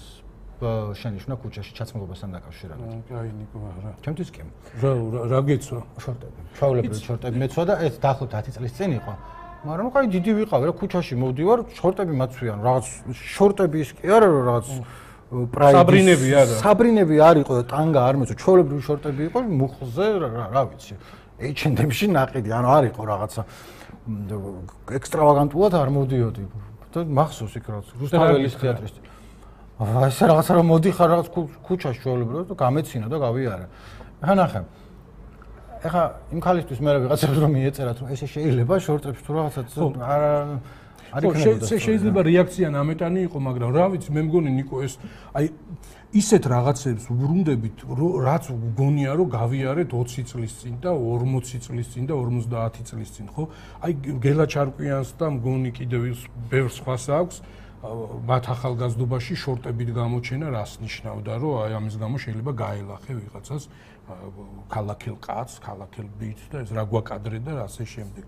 შენიშნა ქუჩაში ჩაცმულობასთან დაკავშირებით. კაი ნიკო რა. ჩემთვის კი. რა რა გეცვა? შორტები. ჩაოლებრივი შორტები მეცვა და ეს დაახლოებით ათი წლის წინ იყო. მაგრამ ნუ კაი დიდი ვიყავი რა ქუჩაში მოვდივარ, შორტები მაცვიან, რაღაც შორტები ის კი არა რომ რაღაც პრაიდის საბრინები არა. საბრინები არ იყო და ტანგა არ მეცვა, ჩაოლებრივი შორტები იყო, მუხლზე რა ვიცი. ეიჩ ენდ ემში ნაყიდი, ანუ არ იყო რაღაცა ექსტრავაგანტულად არ მოდიოდი. და მახსოვს იქ რაღაც რუსთაველის თეატრის აა ეს რაღაცა რომ მოდიხარ რაღაც ქუჩაში ჩვეულებრივად და გამეცინა და გავიარა. ახლა ნახე. ახლა იმ ქალისთვის მე ვიღაცებს რომ მიეწერათ რომ ესე შეიძლება შორტებს თუ რაღაცაც არა არ იქნებოდა. ხო, შეიძლება რეაქცია ნამეტანი იყო, მაგრამ რა ვიცი, მე მგონი ნიკო ეს აი ისეთ რაღაცებს უბრუნდებით, რაც გგონია რომ გავიარეთ ოცი წლის წინ და ორმოცი წლის წინ და ორმოცდაათი წლის წინ, ხო? აი გელა ჩარკვიანს და მგონი კიდევ ბევრ სხვას აქვს მათ ახალგაზრდობაში შორტებით გამოჩენა რას ნიშნავდა, რომ აი ამის გამო შეიძლება გაელახე ვიღაცას ქალაქელ კაცს, ქალაქელ ბიჭს და ეს რა გვაკადრე და ასე შემდეგ.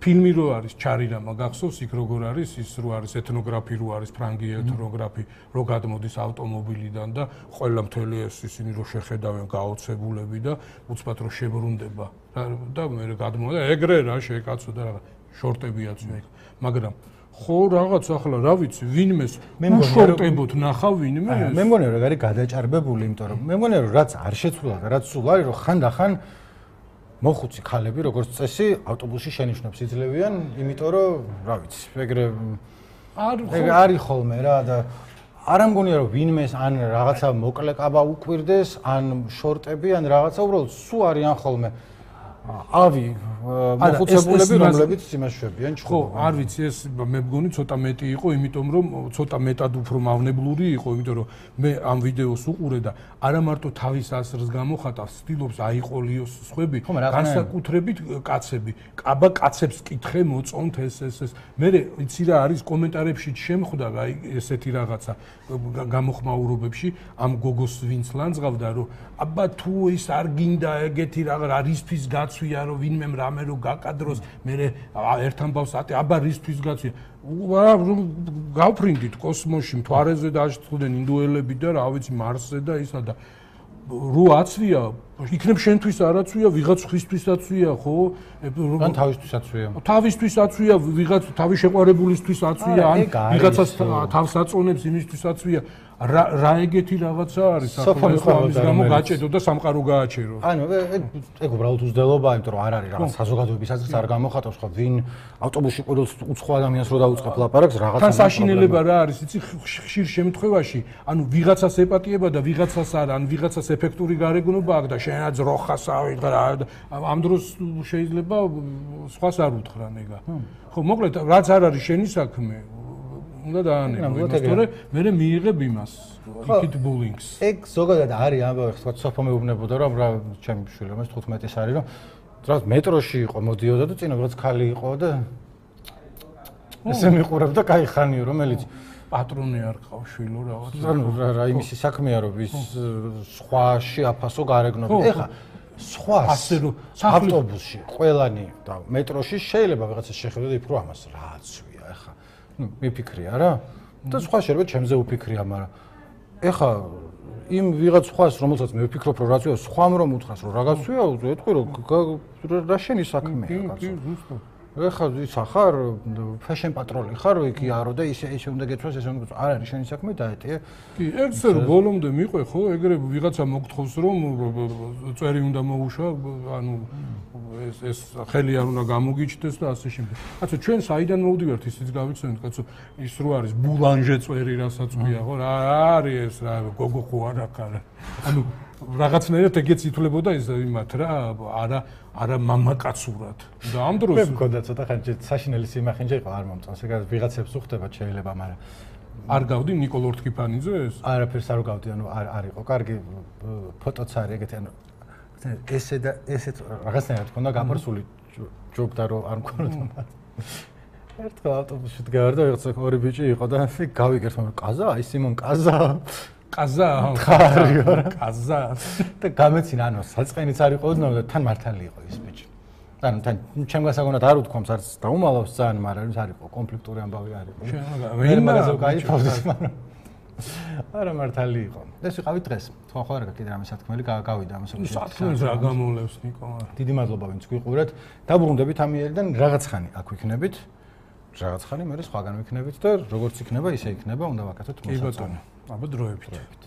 ფილმი რო არის ჩარირამა გახსოვს იქ როგორ არის ის რო არის ეთნოგრაფი რო არის ფრანგი ეთნოგრაფი რო გადმოდის ავტომობილიდან და ყველა მთელი ეს ისინი რო შეხედავენ გაოცებულები და უცბად რო შებრუნდება და მე გადმოვა და ეგრე რა შეკაცო და რა შორტებიაც მე მაგრამ ხო რაღაც ახლა რა ვიცი ვინმეს მე შორტებოთ ნახავ ვინმე მე მგონია რომ არის გადაჭარბებული იმიტომ რომ მე მგონია რომ რაც არ შეცვლა და რაც სულ არის რომ ხანდახან მოხუცი ქალები როგორც წესი ავტობუსში შენიშნებს იძლევიან იმიტომ რომ რა ვიცი ეგრე არ არის ხოლმე რა და არ ამგონია რომ ვინმეს ან რაღაცა მოკლე კაბა უკვირდეს ან შორტები ან რაღაცა უბრალოდ სულ არიან ხოლმე ავი მოხუცებულები რომლებიც იმაშვებიან ხო არ ვიცი ეს მე მგონი ცოტა მეტი იყო იმიტომ რომ ცოტა მეტად უფრო მავნებლური იყო იმიტომ რომ მე ამ ვიდეოს უყურე და არა მარტო თავის ასრს გამოხატავს ცდილობს აიყოლიოს სხვები განსაკუთრებით კაცები კაბა კაცებს კითხე მოწონთ ეს ეს ეს მე იცი რა არის კომენტარებში შემხვდა აი ესეთი რაღაცა გამოხმაურობებში ამ გოგოს ვინც ლანძღავდა რომ აბა თუ ის არ გინდა ეგეთი რა რისთვის გაცვია რომ ვინმე რამე რო გაკადროს მე ერთ ამბავს ატე აბა რისთვის გაცვია რომ გავფრინდით კოსმოსში მთვარეზე დააშწყვდნენ ინდუელები და რა ვიცი მარსზე და ისა და რო აცვია იქნებ შენთვის არაცვია ვიღაც ხვისთვის აცვია ხო ან თავისთვის აცვია თავისთვის აცვია ვიღაც თავის შეყვარებულისთვის აცვია ან ვიღაცას თავს აწონებს იმისთვის აცვია რა რა ეგეთი რაღაცა არის ახლა ამის გამო გაჭედო და სამყარო გააჩერო ანუ ეგ უბრალოდ უძდელობა იმიტომ რომ არ არის რაღაც საზოგადოების აზრს არ გამოხატავს ხო ვინ ავტობუსში ყოველ უცხო ადამიანს რო დაუწყებ ლაპარაკს რაღაცა თან საშინელება რა არის იცი ხშირ შემთხვევაში ანუ ვიღაცას ეპატიება და ვიღაცას არა ან ვიღაცას ეფექტური გარეგნობა აქვს და შენაც როხას ავიღა ამ დროს შეიძლება სხვას არ უთხრა ნეგა ხო მოკლედ რაც არ არის შენი საქმე უნდა დაანებო იმას თორე მე მიიღებ იმას იქით ბულინგს ეგ ზოგადად არის ამბავი ხო სოფო მეუბნებოდა რომ რა ჩემი შვილი რომ ეს თხუთმეტის არის რომ რაღაც მეტროში იყო მოდიოდა და წინა რაღაც ხალი იყო და ესე მიყურებდა кай ხანიო რომელიც პატრონი არ ყავს შვილო რაღაც ანუ რა იმისი საქმეა რომ ის სხვაში აფასო გარეგნობა ეხა სხვა ასე რომ ავტობუსში, ყველანი და მეტროში შეიძლება ვიღაცა შეხედო და იფიქრო ამას რაცვია ეხა. ნუ მიფიქრია რა. და სხვა შეიძლება ჩემზე უფიქრია, მაგრამ ეხა იმ ვიღაც სხვას რომელსაც მე ვფიქრობ რომ რაცვია, სხვამ რომ უთხრას რომ რაღაცვია, ეთქვი რომ რა შენი საქმეა კაცო. ეხა ის ახარ ფეშენ პატროლი ხარ, იქ იარო და ისე ისე უნდა გეცვას, ესე უნდა არ არის შენი საქმე დაეტიე. კი, ერთზე რომ ბოლომდე მიყვე ხო, ეგრე ვიღაცა მოგთხოვს რომ წვერი უნდა მოუშვა, ანუ ეს ეს ხელი არ უნდა გამოგიჩნდეს და ასე შემდეგ. კაცო, ჩვენ საიდან მოვდივართ ისიც გავიხსენეთ, კაცო, ის რო არის ბულანჟე წვერი, რასაც ქვია ხო, რა არის ეს რა, გოგო ხო არა კარა. ანუ რაღაცნაირად ეგეც ითვლებოდა ის იმათ რა, არა არა მამაკაცურად. და ამ დროს მე მქონდა ცოტა ხანჯი საშინელი სიმახინჯე იყო არ მომწონს, ეგ ვიღაცებს უხდება შეიძლება, მაგრამ არ გავდი ნიკოლ ორთქიფანიძეს? არაფერს არ გავდი, ანუ არ არ იყო. კარგი ფოტოც არის ეგეთი, ანუ ესე და ესეც რაღაცნაირად მქონდა გაფარსული ჯობდა რომ არ მქონოდა მათ. ერთხელ ავტობუსში დგარ და ვიღაცა ორი ბიჭი იყო და გავიგერთ, მაგრამ კაზა, აი სიმონ კაზა. კაზა, კაზა. და გამეცინა, ანუ საწყენიც არ იყო ოდნავ და თან მართალი იყო ის ბიჭი. ანუ თან ჩემ გასაგონად არ უთქვამს, არც დაუმალავს ძალიან, მაგრამ ის არ იყო კონფლიქტური ამბავი არ იყო. მე მაგაზე ვკაიფავდი, მაგრამ არა მართალი იყო. ეს ვიყავი დღეს. თქვენ ხო არა კიდე რამე სათქმელი გავიდა ამას. სათქმელს რა გამოვლევს ნიკო? დიდი მადლობა ვინც გვიყურეთ. დაბრუნდებით ამ იერიდან რაღაც ხანი აქ ვიქნებით. რაღაც ხანი მე სხვაგან ვიქნებით და როგორც იქნება, ისე იქნება, უნდა ვაკეთოთ მოსაწონი. კი ბატონო. აბა დროებით.